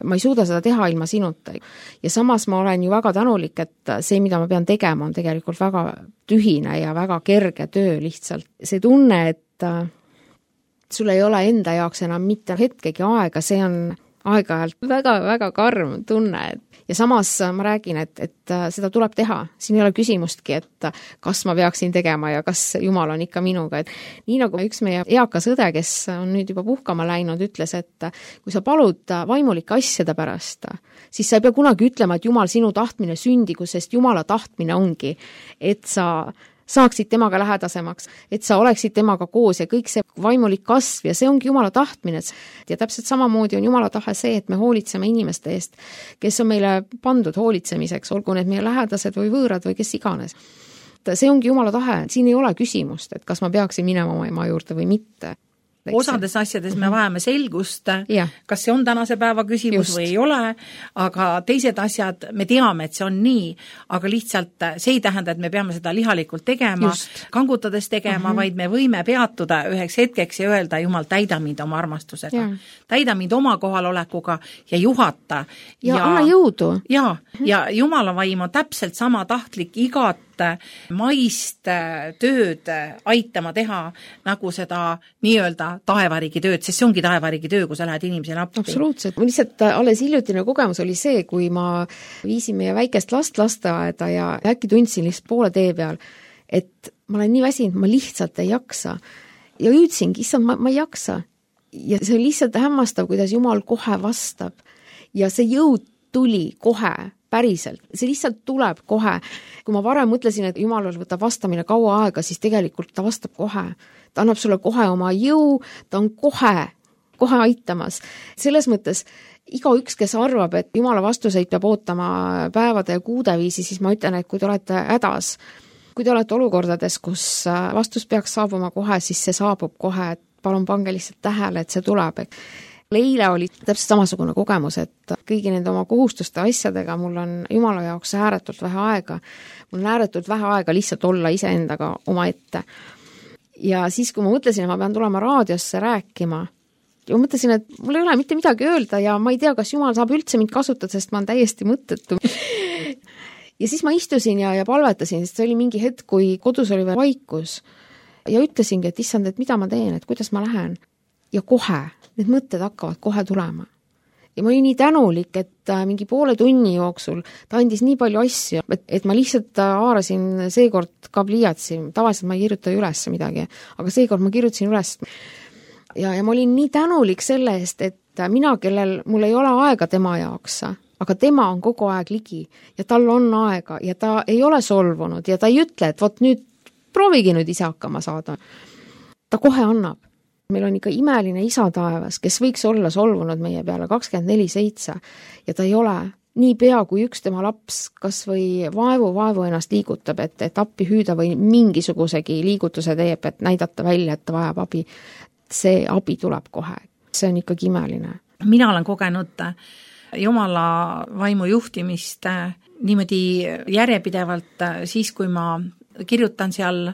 ma ei suuda seda teha ilma sinuta. Ja samas ma olen ju väga tänulik, et see, mida ma pean tegema, on tegelikult väga tühine ja väga kerge töö lihtsalt. See tunne, et sul ei ole enda jaoks enam mitte hetkegi aega, see on aeg-ajalt väga-väga karm tunne. Ja samas ma räägin, et, et seda tuleb teha. Siin ei ole küsimustki, et kas ma peaksin tegema ja kas Jumal on ikka minuga. Et nii nagu üks meie eakas õde, kes on nüüd juba puhkama läinud, ütles, et kui sa palud vaimulike asjade pärast, siis sa ei pea kunagi ütlema, et Jumal sinu tahtmine sündigu, sest Jumala tahtmine ongi, et sa saaksid temaga lähedasemaks, et sa oleksid temaga koos ja kõik see vaimulik kasv ja see ongi Jumala tahtmine. Ja täpselt samamoodi on Jumala tahe see, et me hoolitseme inimeste eest, kes on meile pandud hoolitsemiseks, olgu need meie lähedased või võõrad või kes iganes. See ongi Jumala tahe, siin ei ole küsimust, et kas ma peaksin minema oma ema juurde või mitte. Osades asjades me vajame selgust, ja. Kas see on tänase päeva küsimus Just. Või ei ole, aga teised asjad, me teame, et see on nii, aga lihtsalt see ei tähenda, et me peame seda lihalikult tegema, Just. kangutades tegema, uh-huh. vaid me võime peatuda üheks hetkeks ja öelda, Jumal, täida mind oma armastusega. Ja. Täida mind oma kohalolekuga ja juhata. Ja, ja anna jõudu. Ja, uh-huh. ja Jumala vaim on täpselt sama tahtlik igat maist tööd aitama teha, nagu seda nii-öelda taevariigi tööd, sest see ongi taevariigi töö, kui sa lähed inimesele appi. Absoluutselt. Lihtsalt alles hiljutine kogemus oli see, kui ma viisin meie väikest last lasteaeda ja äkki tundsin lihtsalt poole tee peal, et ma olen nii väsinud, ma lihtsalt ei jaksa. Ja hüüdsingi, issand, ma, ma ei jaksa. Ja see on lihtsalt hämmastav, kuidas Jumal kohe vastab. Ja see jõud tuli kohe päriselt. See lihtsalt tuleb kohe. Kui ma varem mõtlesin, et Jumalal võtab vastamine kaua aega, siis tegelikult ta vastab kohe. Ta annab sulle kohe oma jõu, ta on kohe, kohe aitamas. Selles mõttes iga üks, kes arvab, et Jumala vastuseid peab ootama päevade ja kuude viisi, siis ma ütlen, et kui te olete hädas, kui te olete olukordades, kus vastus peaks saabuma kohe, siis see saabub kohe, et palun pange lihtsalt tähele, et see tuleb. Eile oli täpselt samasugune kogemus, et kõigi nende oma kohustuste asjadega mul on Jumala jaoks ääretult vähe aega. Mul on ääretult vähe aega lihtsalt olla iseendaga oma ette. Ja siis, kui ma mõtlesin, et ma pean tulema raadiosse rääkima, ja ma mõtlesin, et mul ei ole mitte midagi öelda ja ma ei tea, kas Jumal saab üldse mind kasutada, sest ma olen täiesti mõttetu. ja siis ma istusin ja, ja palvetasin, sest see oli mingi hetk, kui kodus oli veel vaikus ja ütlesingi, et issand, et mida ma teen, et kuidas ma lähen. Ja kohe, need mõtted hakkavad kohe tulema. Ja ma olin nii tänulik, et mingi poole tunni jooksul ta andis nii palju asju, et, et ma lihtsalt haarasin seekord ka pliiatsi, tavaliselt ma ei kirjuta üles midagi, aga seekord ma kirjutasin üles. Ja, ja ma olin nii tänulik selle eest, et mina, kellel mul ei ole aega tema jaoks, aga tema on kogu aeg ligi ja tal on aega ja ta ei ole solvunud ja ta ei ütle, et vot nüüd proovigi nüüd ise hakkama saada. Ta kohe annab. Meil on ikka imeline isa taevas, kes võiks olla solvunud meie peale kakskümmend neli seitse ja ta ei ole. Nii pea, kui üks tema laps kas või vaevu, vaevu ennast liigutab, et, et appi hüüda või mingisugusegi liigutuse teeb, et näidata välja, et ta vajab abi. See abi tuleb kohe. See on ikkagi imeline. Mina olen kogenud Jumala vaimu juhtimist niimoodi järjepidevalt siis, kui ma kirjutan seal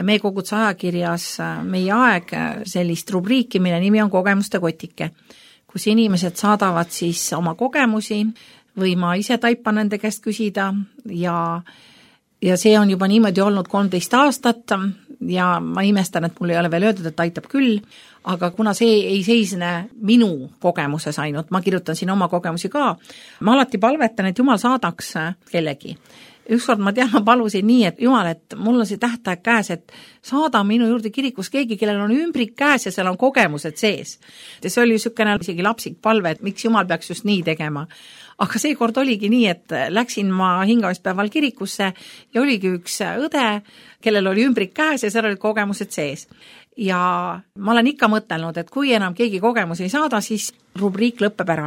meie koguduse ajakirjas meie aeg sellist rubriiki, mille nimi on kogemuste kotike, kus inimesed saadavad siis oma kogemusi või ma ise taipan nende käest küsida ja, ja see on juba niimoodi olnud kolmteist aastat ja ma imestan, et mul ei ole veel öeldud, et aitab küll, aga kuna see ei seisne minu kogemuses ainult, ma kirjutan siin oma kogemusi ka, ma alati palvetan, et Jumal saadaks kellegi. Ükskord ma tean, ma palusin nii, et Jumal, et mul on see tähtaeg käes, et saada minu juurde kirikus keegi, kellel on ümbrik käes ja seal on kogemused sees. Ja see oli sükene isegi lapsik palve, et miks Jumal peaks just nii tegema. Aga see kord oligi nii, et läksin ma hingamispäeval kirikusse ja oligi üks õde, kellel oli ümbrik käes ja seal olid kogemused sees. Ja ma olen ikka mõtelnud, et kui enam keegi kogemusi ei saada, siis rubriik lõppeb ära.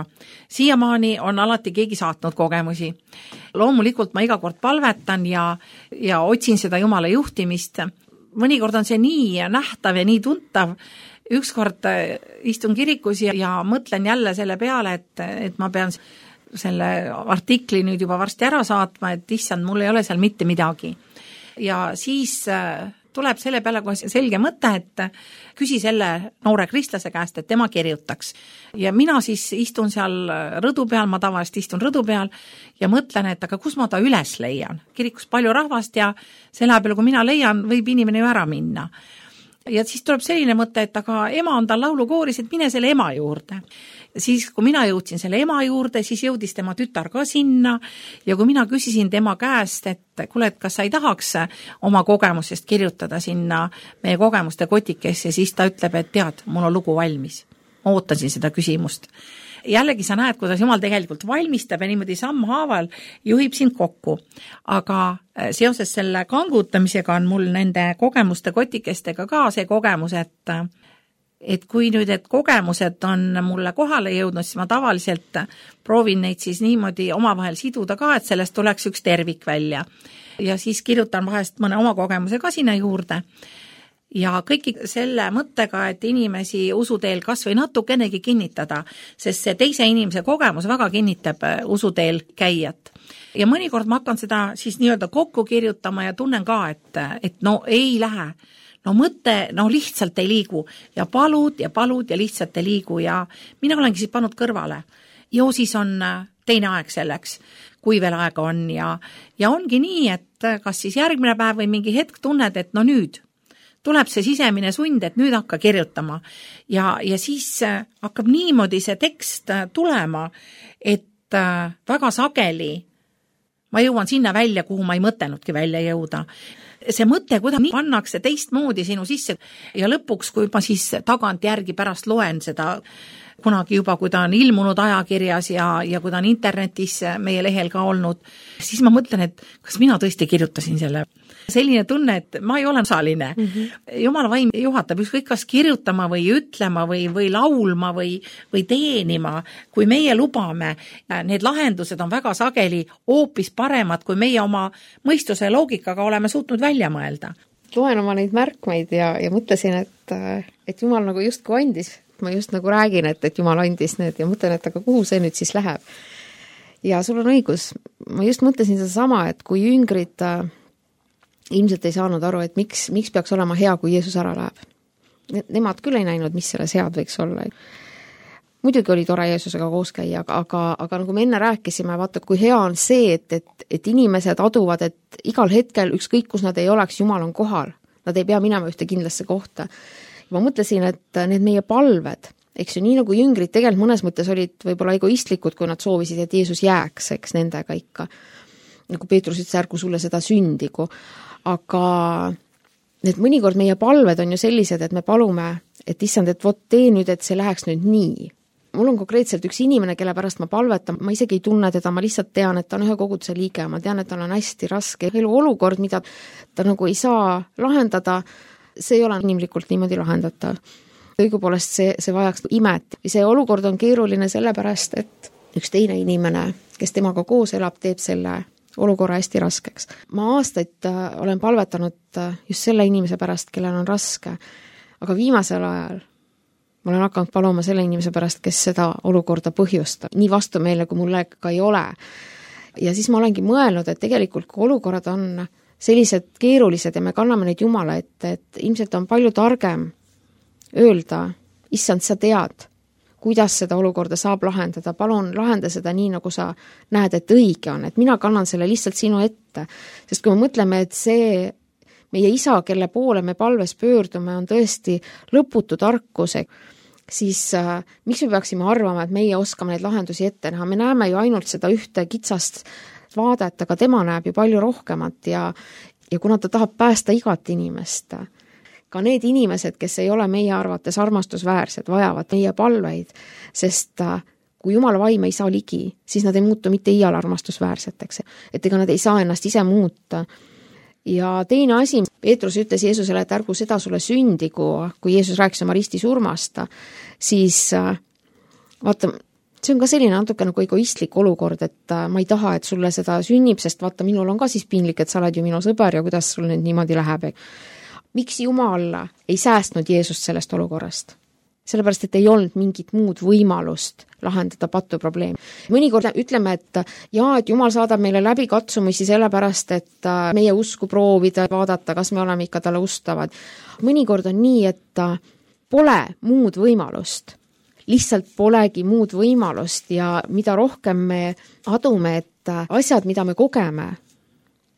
Siiamaani on alati keegi saatnud kogemusi. Loomulikult ma iga kord palvetan ja, ja otsin seda Jumala juhtimist. Mõnikord on see nii nähtav ja nii tuntav. Ükskord istun kirikus ja, ja mõtlen jälle selle peale, et, et ma pean selle artikli nüüd juba varsti ära saatma, et issand, mul ei ole seal mitte midagi. Ja siis tuleb selle peale kohe selge mõte, et küsi selle noore kristlase käest, et tema kirjutaks. Ja mina siis istun seal rõdu peal, ma tavaliselt istun rõdu peal ja mõtlen, et aga kus ma ta üles leian. Kirikus palju rahvast ja selle peale, kui mina leian, võib inimene ju ära minna. Ja siis tuleb selline mõte, et aga ema on tal laulukooris, et mine selle ema juurde. Siis, kui mina jõudsin selle ema juurde, siis jõudis tema tütar ka sinna ja kui mina küsisin tema käest, et kuule, et kas sa ei tahaks oma kogemusest kirjutada sinna meie kogemuste kotikesse, siis ta ütleb, et tead, mul on lugu valmis. Ma ootasin seda küsimust. Jällegi sa näed, kuidas Jumal tegelikult valmistab ja niimoodi sammhaaval juhib sind kokku. Aga seoses selle kangutamisega on mul nende kogemuste kotikestega ka see kogemus, et et kui nüüd, et kogemused on mulle kohale jõudnud, siis ma tavaliselt proovin neid siis niimoodi omavahel siduda ka, et sellest tuleks üks tervik välja. Ja siis kirjutan vahest mõne oma kogemuse ka sinna juurde. Ja kõiki selle mõttega, et inimesi usuteel kas või natukenegi kinnitada, sest see teise inimese kogemus väga kinnitab usuteel käijat. Ja mõnikord ma hakkan seda siis nii-öelda kokku kirjutama ja tunnen ka, et, et no ei lähe. No mõte, no lihtsalt ei liigu ja palud ja palud ja lihtsalt ei liigu ja mina olengi siis pannud kõrvale. Jo siis on teine aeg selleks, kui veel aega on ja, ja ongi nii, et kas siis järgmine päev või mingi hetk tunned, et no nüüd tuleb see sisemine sund, et nüüd hakka kirjutama ja, ja siis hakkab niimoodi see tekst tulema, et väga sageli ma jõuan sinna välja, kuhu ma ei mõtelnudki välja jõuda. See mõte, kuidas nii pannakse teistmoodi sinu sisse ja lõpuks, kui ma siis tagant järgi pärast loen seda kunagi juba, kui ta on ilmunud ajakirjas ja, ja kui ta on internetis meie lehel ka olnud, siis ma mõtlen, et kas mina tõesti kirjutasin selle. Selline tunne, et ma ei ole osaline. Mm-hmm. Jumala vaim juhatab ükskõik kas kirjutama või ütlema või, või laulma või, või teenima. Kui meie lubame, need lahendused on väga sageli hoopis paremad, kui meie oma mõistuse loogikaga oleme suutnud välja mõelda. Loen oma neid märkmeid ja, ja mõtlesin, et, et Jumal nagu justkui andis. Ma just nagu räägin, et, et Jumal andis need ja mõtlen, et aga kuhu see nüüd siis läheb. Ja sul on õigus. Ma just mõtlesin seda sama, et kui jüngrid äh, ilmselt ei saanud aru, et miks, miks peaks olema hea, kui Jeesus ära läheb. Nemad küll ei näinud, mis selles head võiks olla. muidugi oli tore Jeesusega koos käia, aga, aga, aga nagu me enne rääkisime, vaata, kui hea on see, et, et, et inimesed aduvad, et igal hetkel, ükskõik kus nad ei oleks, Jumal on kohal. Nad ei pea minema ühte kindlasse kohta. Ma mõtlesin, et need meie palved, eks ju, nii nagu jüngrid tegelikult mõnes mõttes olid võib-olla egoistlikud, kui nad soovisid, et Jeesus jääks, eks nendega ikka. Nagu Peetrus ütles, ärgu sulle seda sündigu. Aga need mõnikord meie palved on ju sellised, et me palume, et issand, et vot tee nüüd, et see läheks nüüd nii. Mul on konkreetselt üks inimene, kelle pärast ma palvetan, ma isegi ei tunne teda, ma lihtsalt tean, et ta on ühe koguduse liige, ma tean, et tal on hästi raske elu olukord, mida ta nagu ei saa lahendada, see ei ole inimlikult niimoodi lahendatav. Õigupoolest see, see vajaks imet. See olukord on keeruline sellepärast, et üks teine inimene, kes temaga koos elab, teeb selle olukorra hästi raskeks. Ma aastaid olen palvetanud just selle inimese pärast, kellel on raske, aga viimasel ajal ma olen hakanud paluma selle inimese pärast, kes seda olukorda põhjustab. Nii vastumeelne, kui mulle ka ei ole. Ja siis ma olengi mõelnud, et tegelikult kui olukorrad on sellised keerulised ja me kanname neid Jumala ette, et ilmselt on palju targem öelda, issand, sa tead, kuidas seda olukorda saab lahendada, palun lahenda seda nii, nagu sa näed, et õige on, et mina kannan selle lihtsalt sinu ette. Sest kui me mõtleme, et see meie isa, kelle poole me palves pöördume, on tõesti lõputu tarkuse, siis äh, miks me peaksime arvama, et meie oskame neid lahendusi ette näha? Me näeme ju ainult seda ühte kitsast vaadet, aga tema näeb ju palju rohkemat ja, ja kuna ta tahab päästa igat inimest, ka need inimesed, kes ei ole meie arvates armastusväärsed, vajavad meie palveid, sest äh, kui Jumala vaim ei saa ligi, siis nad ei muutu mitte iial armastusväärseteks, et ega nad ei saa ennast ise muuta. Ja teine asi, Peetrus ütles Jeesusele, et ärgu seda sulle sündigu, kui Jeesus rääkis oma risti surmast, siis vaata, see on ka selline natuke nagu egoistlik olukord, et ma ei taha, et sulle seda sünnib, sest vaata, minul on ka siis piinlik, et sa oled ju minu sõber ja kuidas sul nüüd niimoodi läheb. Miks Jumal ei säästnud Jeesust sellest olukorrast? Sellepärast, et ei olnud mingit muud võimalust lahendada patu probleemi. Mõnikord ütleme, et jaa, et Jumal saadab meile läbi katsumisi sellepärast, et meie usku proovida, vaadata, kas me oleme ikka talle ustavad. Mõnikord on nii, et pole muud võimalust. Lihtsalt polegi muud võimalust ja mida rohkem me adume, et asjad, mida me kogeme,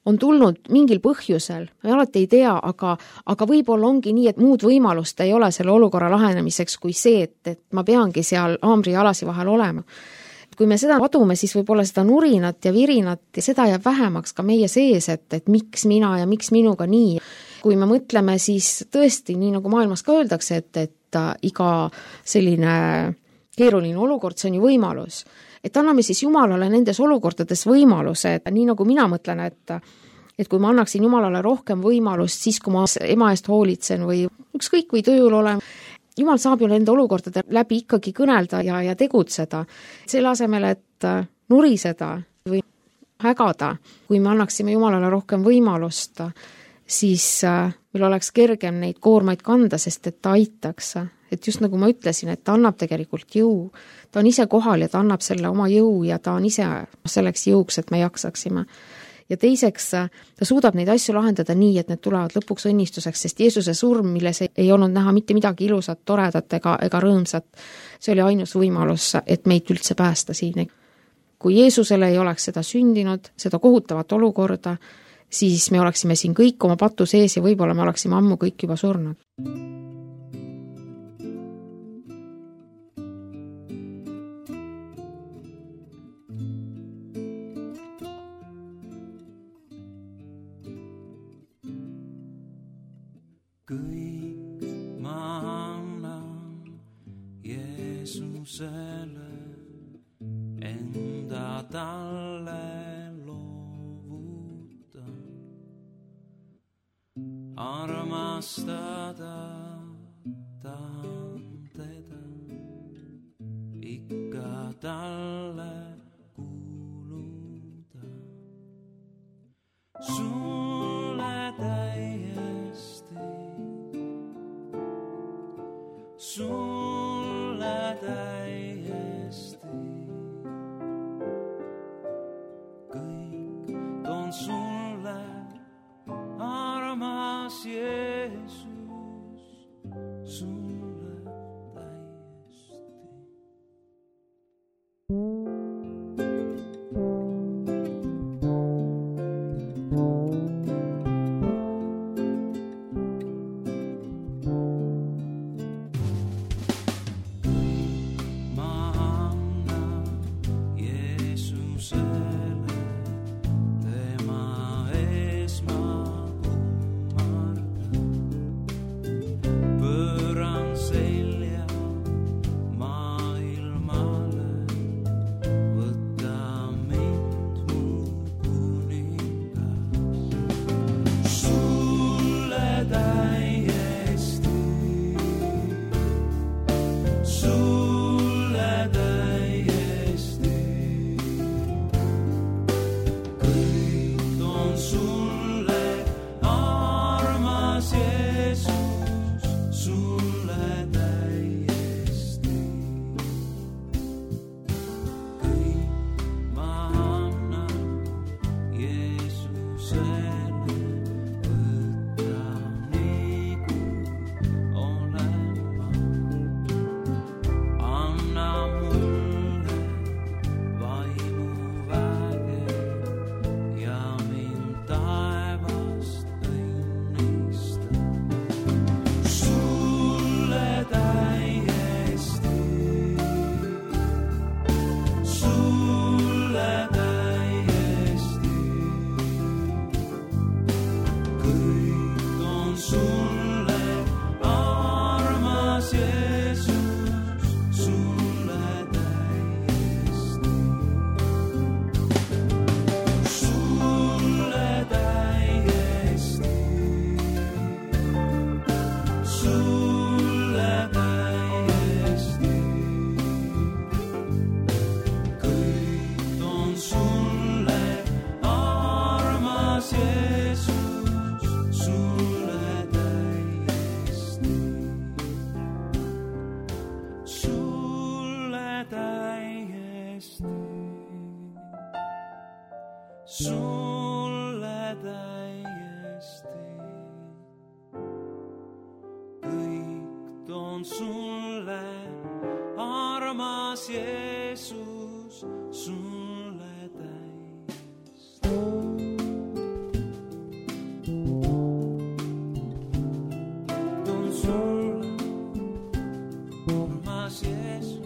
on tulnud mingil põhjusel, me alati ei tea, aga, aga võib-olla ongi nii, et muud võimalust ei ole selle olukorra lahenemiseks kui see, et, et ma peangi seal haamri ja alasi vahel olema. Kui me seda adume, siis võib-olla seda nurinat ja virinat ja seda jääb vähemaks ka meie sees, et, et miks mina ja miks minuga nii. Kui me mõtleme, siis tõesti, nii nagu maailmas ka öeldakse, et, et iga selline keeruline olukord, see on ju võimalus. Et anname siis Jumalale nendes olukordades võimaluse, et nii nagu mina mõtlen, et, et kui ma annaksin Jumalale rohkem võimalust, siis kui ma ema eest hoolitsen või ükskõik või tööl olen, Jumal saab ju nende olukordade läbi ikkagi kõnelda ja, ja tegutseda. Selle asemel, et nuriseda või hägada, kui me annaksime Jumalale rohkem võimalust, siis meil oleks kergem neid koormaid kanda, sest et ta aitaks. Et just nagu ma ütlesin, et ta annab tegelikult jõu. Ta on ise kohal ja ta annab selle oma jõu ja ta on ise selleks jõuks, et me jaksaksime. Ja teiseks, ta suudab neid asju lahendada nii, et need tulevad lõpuks õnnistuseks, sest Jeesuse surm, milles ei olnud näha mitte midagi ilusat, toredat ega, ega rõõmsat, see oli ainus võimalus, et meid üldse päästa siin. Kui Jeesusele ei oleks seda sündinud, seda kohutavat olukorda, siis me oleksime siin kõik oma patu sees ja võib-olla me oleksime ammu kõik juba surnud. Kõik ma annan Jeesusele, enda talle loovutan. Armastada tahan teda, ikka talle kuuluda. Sulle täiesti, sulle täiesti, kõik toon sulle, armas Jeesus, sulle täiesti. sulle täiesti. Kõik toon sulle, armas Jeesus, sulle täiesti. Toon sulle, armas Jeesus.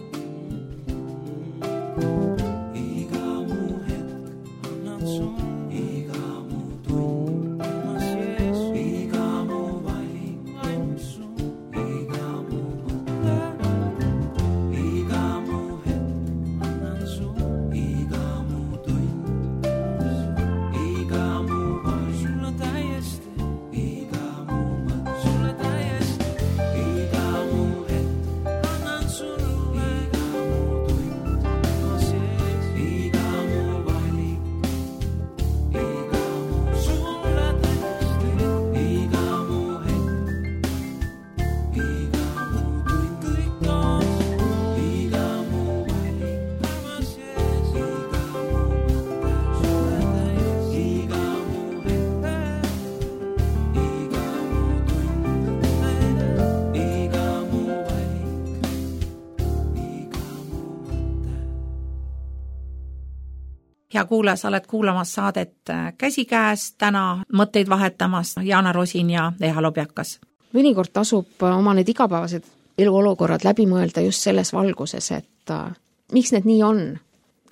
Hea kuulaja, sa oled kuulamas saadet Käsikäes, täna mõtteid vahetamas Jaana Rosin ja Eha Lobjakas. Mõnikord tasub oma need igapäevased eluolukorrad läbi mõelda just selles valguses, et äh, miks need nii on?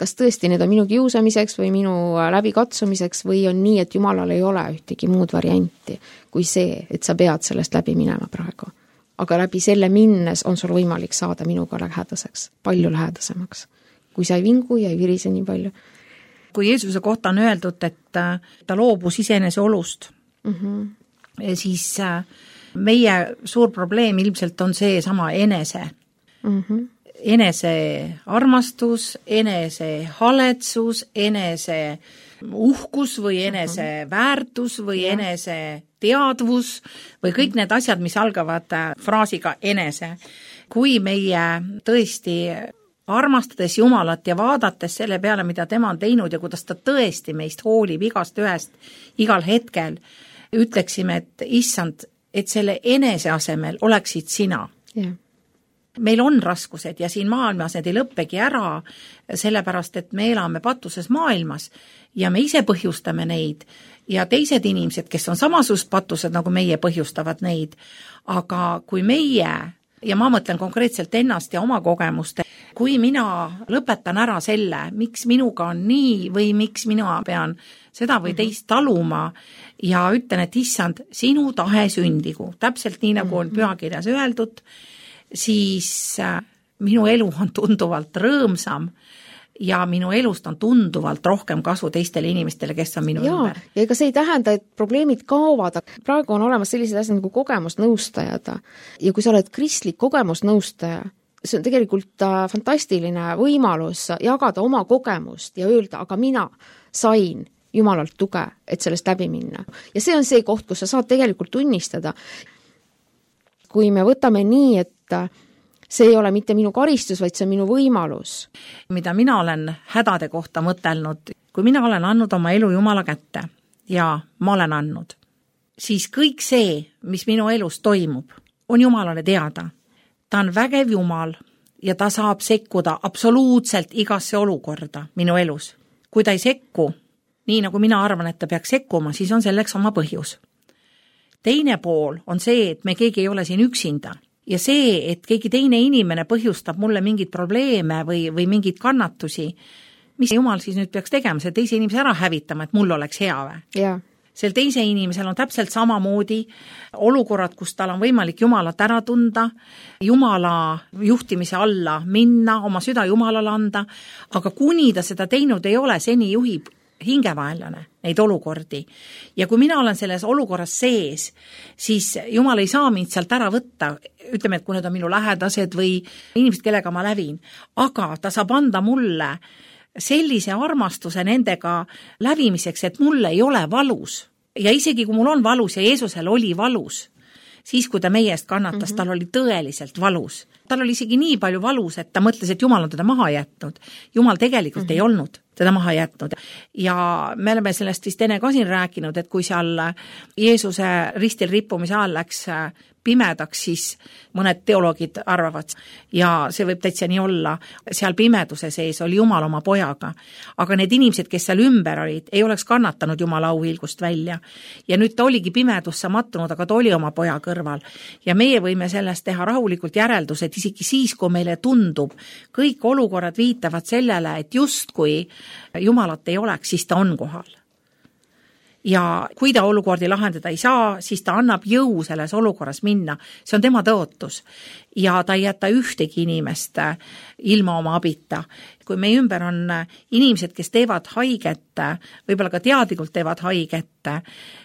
Kas tõesti need on minu kiusamiseks või minu läbikatsumiseks või on nii, et Jumalal ei ole ühtegi muud varianti kui see, et sa pead sellest läbi minema praegu. Aga läbi selle minnes on sul võimalik saada minuga lähedaseks, palju lähedasemaks, kui sa ei vingu ja ei virise nii palju. Kui Jeesuse kohta on öeldud, et ta loobus iseenese olust, mm-hmm. siis meie suur probleem ilmselt on see sama enese. Mm-hmm. Enese armastus, enese haletsus, enese uhkus või enese mm-hmm. väärtus või ja. Enese teadvus või kõik need asjad, mis algavad fraasiga enese. Kui meie tõesti armastades Jumalat ja vaadates selle peale, mida tema on teinud ja kuidas ta tõesti meist hoolib igast ühest igal hetkel, ütleksime, et issand, et selle enese asemel oleksid sina. Yeah. Meil on raskused ja siin maailmas need ei lõppegi ära, sellepärast, et me elame patuses maailmas ja me ise põhjustame neid ja teised inimesed, kes on samasugused patused, nagu meie põhjustavad neid. Aga kui meie, ja ma mõtlen konkreetselt ennast ja oma kogemust, kui mina lõpetan ära selle, miks minuga on nii või miks mina pean seda või teist taluma ja ütlen, et issand, sinu tahe sündigu, täpselt nii, nagu on pühakirjas öeldud, siis minu elu on tunduvalt rõõmsam ja minu elust on tunduvalt rohkem kasu teistele inimestele, kes on minu ja, ümber. Ja ega see ei tähenda, et probleemid kaovad. Praegu on olemas sellised asjad nagu kogemusnõustajad ja kui sa oled kristlik kogemusnõustaja, see on tegelikult fantastiline võimalus jagada oma kogemust ja öelda, aga mina sain Jumalalt tuge, et sellest läbi minna. Ja see on see koht, kus sa saad tegelikult tunnistada. Kui me võtame nii, et see ei ole mitte minu karistus, vaid see on minu võimalus. Mida mina olen hädade kohta mõtelnud, kui mina olen andnud oma elu Jumala kätte ja ma olen andnud, siis kõik see, mis minu elus toimub, on Jumalale teada. Ta on vägev Jumal ja ta saab sekkuda absoluutselt igasse olukorda minu elus. Kui ta ei sekku, nii nagu mina arvan, et ta peaks sekkuma, siis on selleks oma põhjus. Teine pool on see, et me keegi ei ole siin üksinda ja see, et keegi teine inimene põhjustab mulle mingid probleeme või, või mingid kannatusi, mis Jumal siis nüüd peaks tegema, see teise inimese ära hävitama, et mul oleks hea või? Jaa. Sel teise inimesel on täpselt samamoodi olukorrad, kus tal on võimalik Jumalat ära tunda, Jumala juhtimise alla minna, oma süda Jumalale anda, aga kuni ta seda teinud ei ole, seni juhib hingevaenlane neid olukordi. Ja kui mina olen selles olukorras sees, siis Jumal ei saa mind sealt ära võtta, ütleme, et kui need on minu lähedased või inimesed, kellega ma lävin, aga ta saab anda mulle sellise armastuse nendega lävimiseks, et mul ei ole valus. Ja isegi kui mul on valus ja Jeesusel oli valus, siis kui ta meie eest kannatas, mm-hmm. tal oli tõeliselt valus. tal oli isegi nii palju valus, et ta mõtles, et Jumal on teda maha jätnud. Jumal tegelikult mm-hmm. ei olnud teda maha jätnud. Ja me oleme sellest vist enne ka siin rääkinud, et kui seal Jeesuse ristil rippumise ajal läks pimedaks, siis mõned teoloogid arvavad, ja see võib täitsa nii olla, seal pimeduse sees oli Jumal oma pojaga. Aga need inimesed, kes seal ümber olid, ei oleks kannatanud Jumala auhiilgust välja. Ja nüüd ta oligi pimedusse mattunud, aga ta oli oma poja kõrval. Ja meie võime sellest teha rahulikult järeldused, isegi siis, kui meile tundub, kõik olukorrad viitavad sellele, et just kui Jumalat ei oleks, siis ta on kohal. Ja kui ta olukordi lahendada ei saa, siis ta annab jõu selles olukorras minna. See on tema tõotus. Ja ta ei jäta ühtegi inimest ilma oma abita. Kui meie ümber on inimesed, kes teevad haiget, võib-olla ka teadlikult teevad haiget,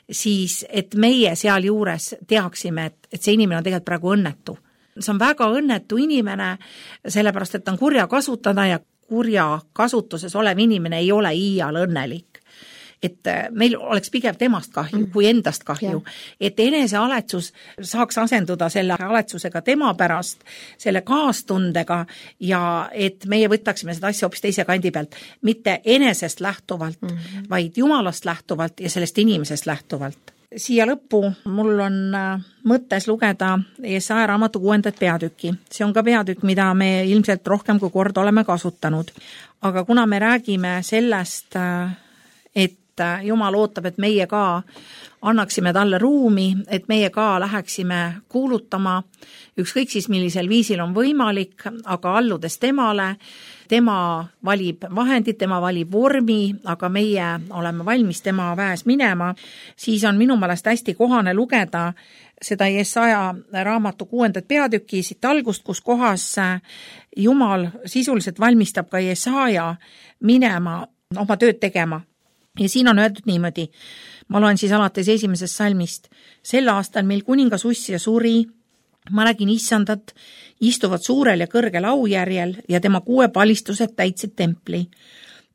siis et meie seal juures teaksime, et, et see inimene on tegelikult praegu õnnetu. See on väga õnnetu inimene, sellepärast et ta on kurja kasutada ja kurja kasutuses olev inimene ei ole iial õnnelik. Et meil oleks pigem temast kahju mm. kui endast kahju. Yeah. Et enese aletsus saaks asenduda selle aletsusega tema pärast, selle kaastundega ja et meie võtaksime seda asja hoopis teise kandi pealt. Mitte enesest lähtuvalt, mm-hmm. vaid Jumalast lähtuvalt ja sellest inimesest lähtuvalt. Siia lõppu mul on mõttes lugeda Jesaja raamatu kuuendat peatükki. See on ka peatükk, mida me ilmselt rohkem kui kord oleme kasutanud. Aga kuna me räägime sellest, et Jumal ootab, et meie ka annaksime talle ruumi, et meie ka läheksime kuulutama, ükskõik siis millisel viisil on võimalik, aga alludes temale, tema valib vahendid, tema valib vormi, aga meie oleme valmis tema väes minema, siis on minu meelest hästi kohane lugeda seda Jesaja raamatu kuuendat peatükki siit algust, kus kohas Jumal sisuliselt valmistab ka Jesaja minema oma tööd tegema. Ja siin on öeldud niimoodi, ma loen siis alates esimesest salmist, sel aastal meil kuningas Ussia suri, ma nägin issandat, istuvad suurel ja kõrgel aujärjel ja tema kuue palistused täitsid templi.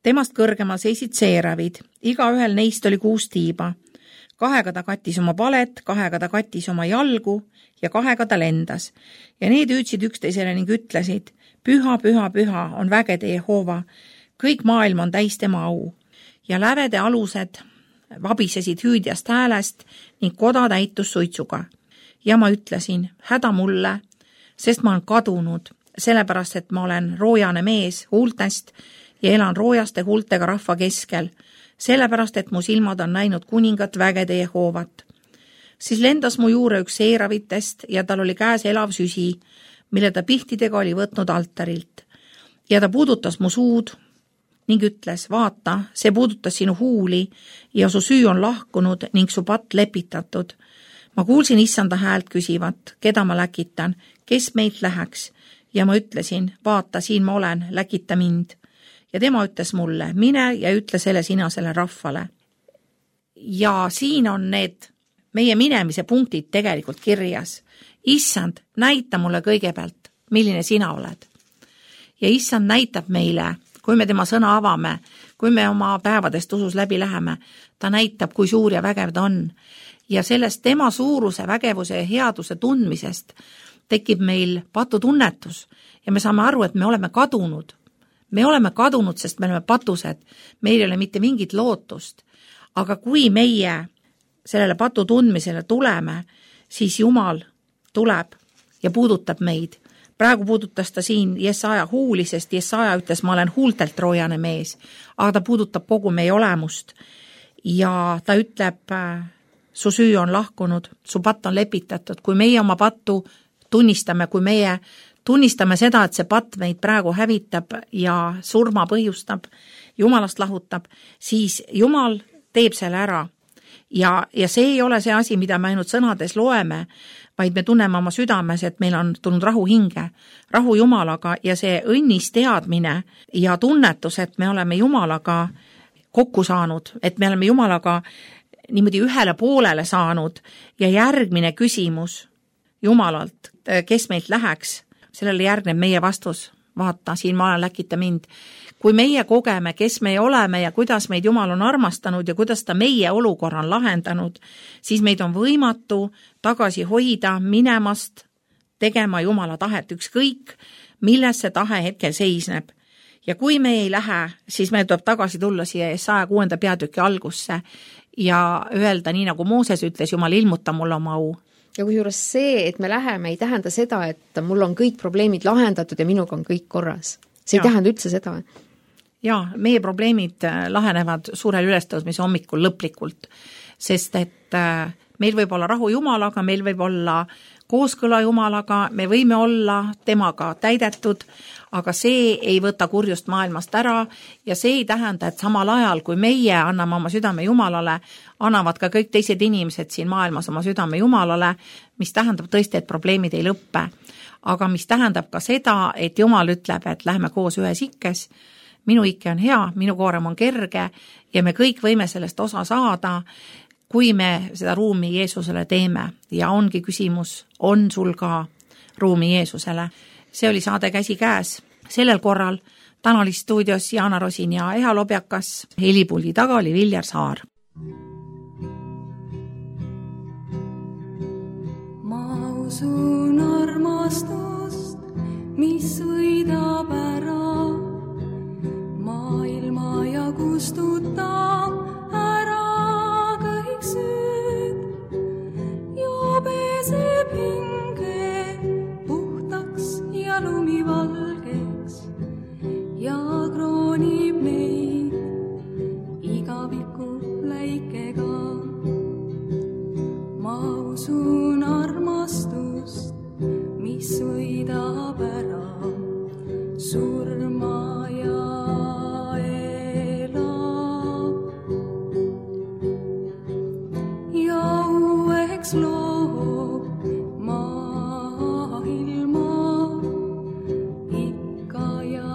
Temast kõrgemal seisid seeravid, iga ühel neist oli kuus tiiba. Kahega ta kattis oma palet, kahega ta kattis oma jalgu ja kahega ta lendas. Ja need hüüdsid üksteisele ning ütlesid, püha, püha, püha on vägede Jehova, kõik maailm on täis tema au. Ja lävede alused vabisesid hüüdjast häälest ning koda täitus suitsuga. Ja ma ütlesin, häda mulle, sest ma olen kadunud, sellepärast, et ma olen roojane mees huultest ja elan roojaste huultega rahva keskel, sellepärast, et mu silmad on näinud kuningat vägede Jehovat. Siis lendas mu juure üks seeravitest ja tal oli käes elav süsi, mille ta pihtidega oli võtnud altarilt. Ja ta puudutas mu suud ning ütles, vaata, see puudutas sinu huuli ja su süü on lahkunud ning su patt lepitatud. Ma kuulsin issanda häält küsivat, keda ma läkitan, kes meilt läheks, ja ma ütlesin, vaata, siin ma olen, läkita mind. Ja tema ütles mulle, mine ja ütle selle sina selle rahvale. Ja siin on need meie minemise punktid tegelikult kirjas. Issand, näita mulle kõigepealt, milline sina oled. Ja issand näitab meile, kui me tema sõna avame, kui me oma päevadest usus läbi läheme, ta näitab, kui suur ja vägev ta on. Ja sellest tema suuruse, vägevuse ja headuse tundmisest tekib meil patutunnetus ja me saame aru, et me oleme kadunud. Me oleme kadunud, sest me oleme patused. Meil ei ole mitte mingit lootust. Aga kui meie sellele patu tundmisele tuleme, siis Jumal tuleb ja puudutab meid. Praegu puudutas ta siin Jesaja huuli, sest Jesaja ütles, ma olen huultelt roojane mees, aga ta puudutab kogu meie olemust. Ja ta ütleb, su süü on lahkunud, su patt on lepitatud. Kui meie oma pattu tunnistame, kui meie tunnistame seda, et see patt meid praegu hävitab ja surma põhjustab, Jumalast lahutab, siis Jumal teeb selle ära. Ja, ja see ei ole see asi, mida me ainult sõnades loeme, vaid me tunneme oma südames, et meil on tulnud rahu hinge, rahu Jumalaga ja see õnnis teadmine ja tunnetus, et me oleme Jumalaga kokku saanud, et me oleme Jumalaga niimoodi ühele poolele saanud ja järgmine küsimus Jumalalt, kes meilt läheks, sellele järgneb meie vastus, vaata, siin ma olen, läkita mind. Kui meie kogeme, kes me oleme ja kuidas meid Jumal on armastanud ja kuidas ta meie olukorra on lahendanud, siis meid on võimatu tagasi hoida minemast tegema Jumala tahet, ükskõik, milles see tahe hetkel seisneb. Ja kui me ei lähe, siis meil tuleb tagasi tulla siia saja kuuenda peatüki algusse ja öelda, nii nagu Mooses ütles, Jumal, ilmuta mulle oma au. Ja kusjuures see, et me läheme, ei tähenda seda, et mul on kõik probleemid lahendatud ja minuga on kõik korras. See ja. Ei tähenda üldse seda. Jaa, meie probleemid lahenevad suurel ülestõusmise hommikul lõplikult, sest et meil võib olla rahu Jumalaga, meil võib olla kooskõla Jumalaga, me võime olla temaga täidetud, aga see ei võta kurjust maailmast ära ja see ei tähenda, et samal ajal, kui meie anname oma südame Jumalale, annavad ka kõik teised inimesed siin maailmas oma südame Jumalale, mis tähendab tõesti, et probleemid ei lõppe. Aga mis tähendab ka seda, et Jumal ütleb, et lähme koos ühes ikkes, minu ikke on hea, minu koorem on kerge ja me kõik võime sellest osa saada, kui me seda ruumi Jeesusele teeme ja ongi küsimus, on sul ka ruumi Jeesusele. See oli saade Käsi käes. Sellel korral täna oli stuudios Jaana Rosin ja Eha Lobjakas, helipuldi taga oli Viljar Saar. Ma usun armastust, mis võidab ära maailma ja kustutab ära kõik süüd ja peseb hinge puhtaks ja lumivalgeks ja kroonib meid igaviku läikega. Ma usun armastust, mis võidab ära surma ja loob maailma ikka ja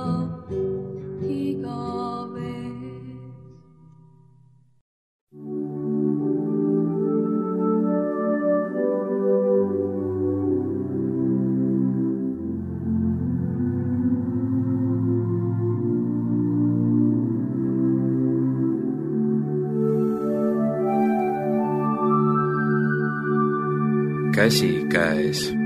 igavesti. Käsi käes.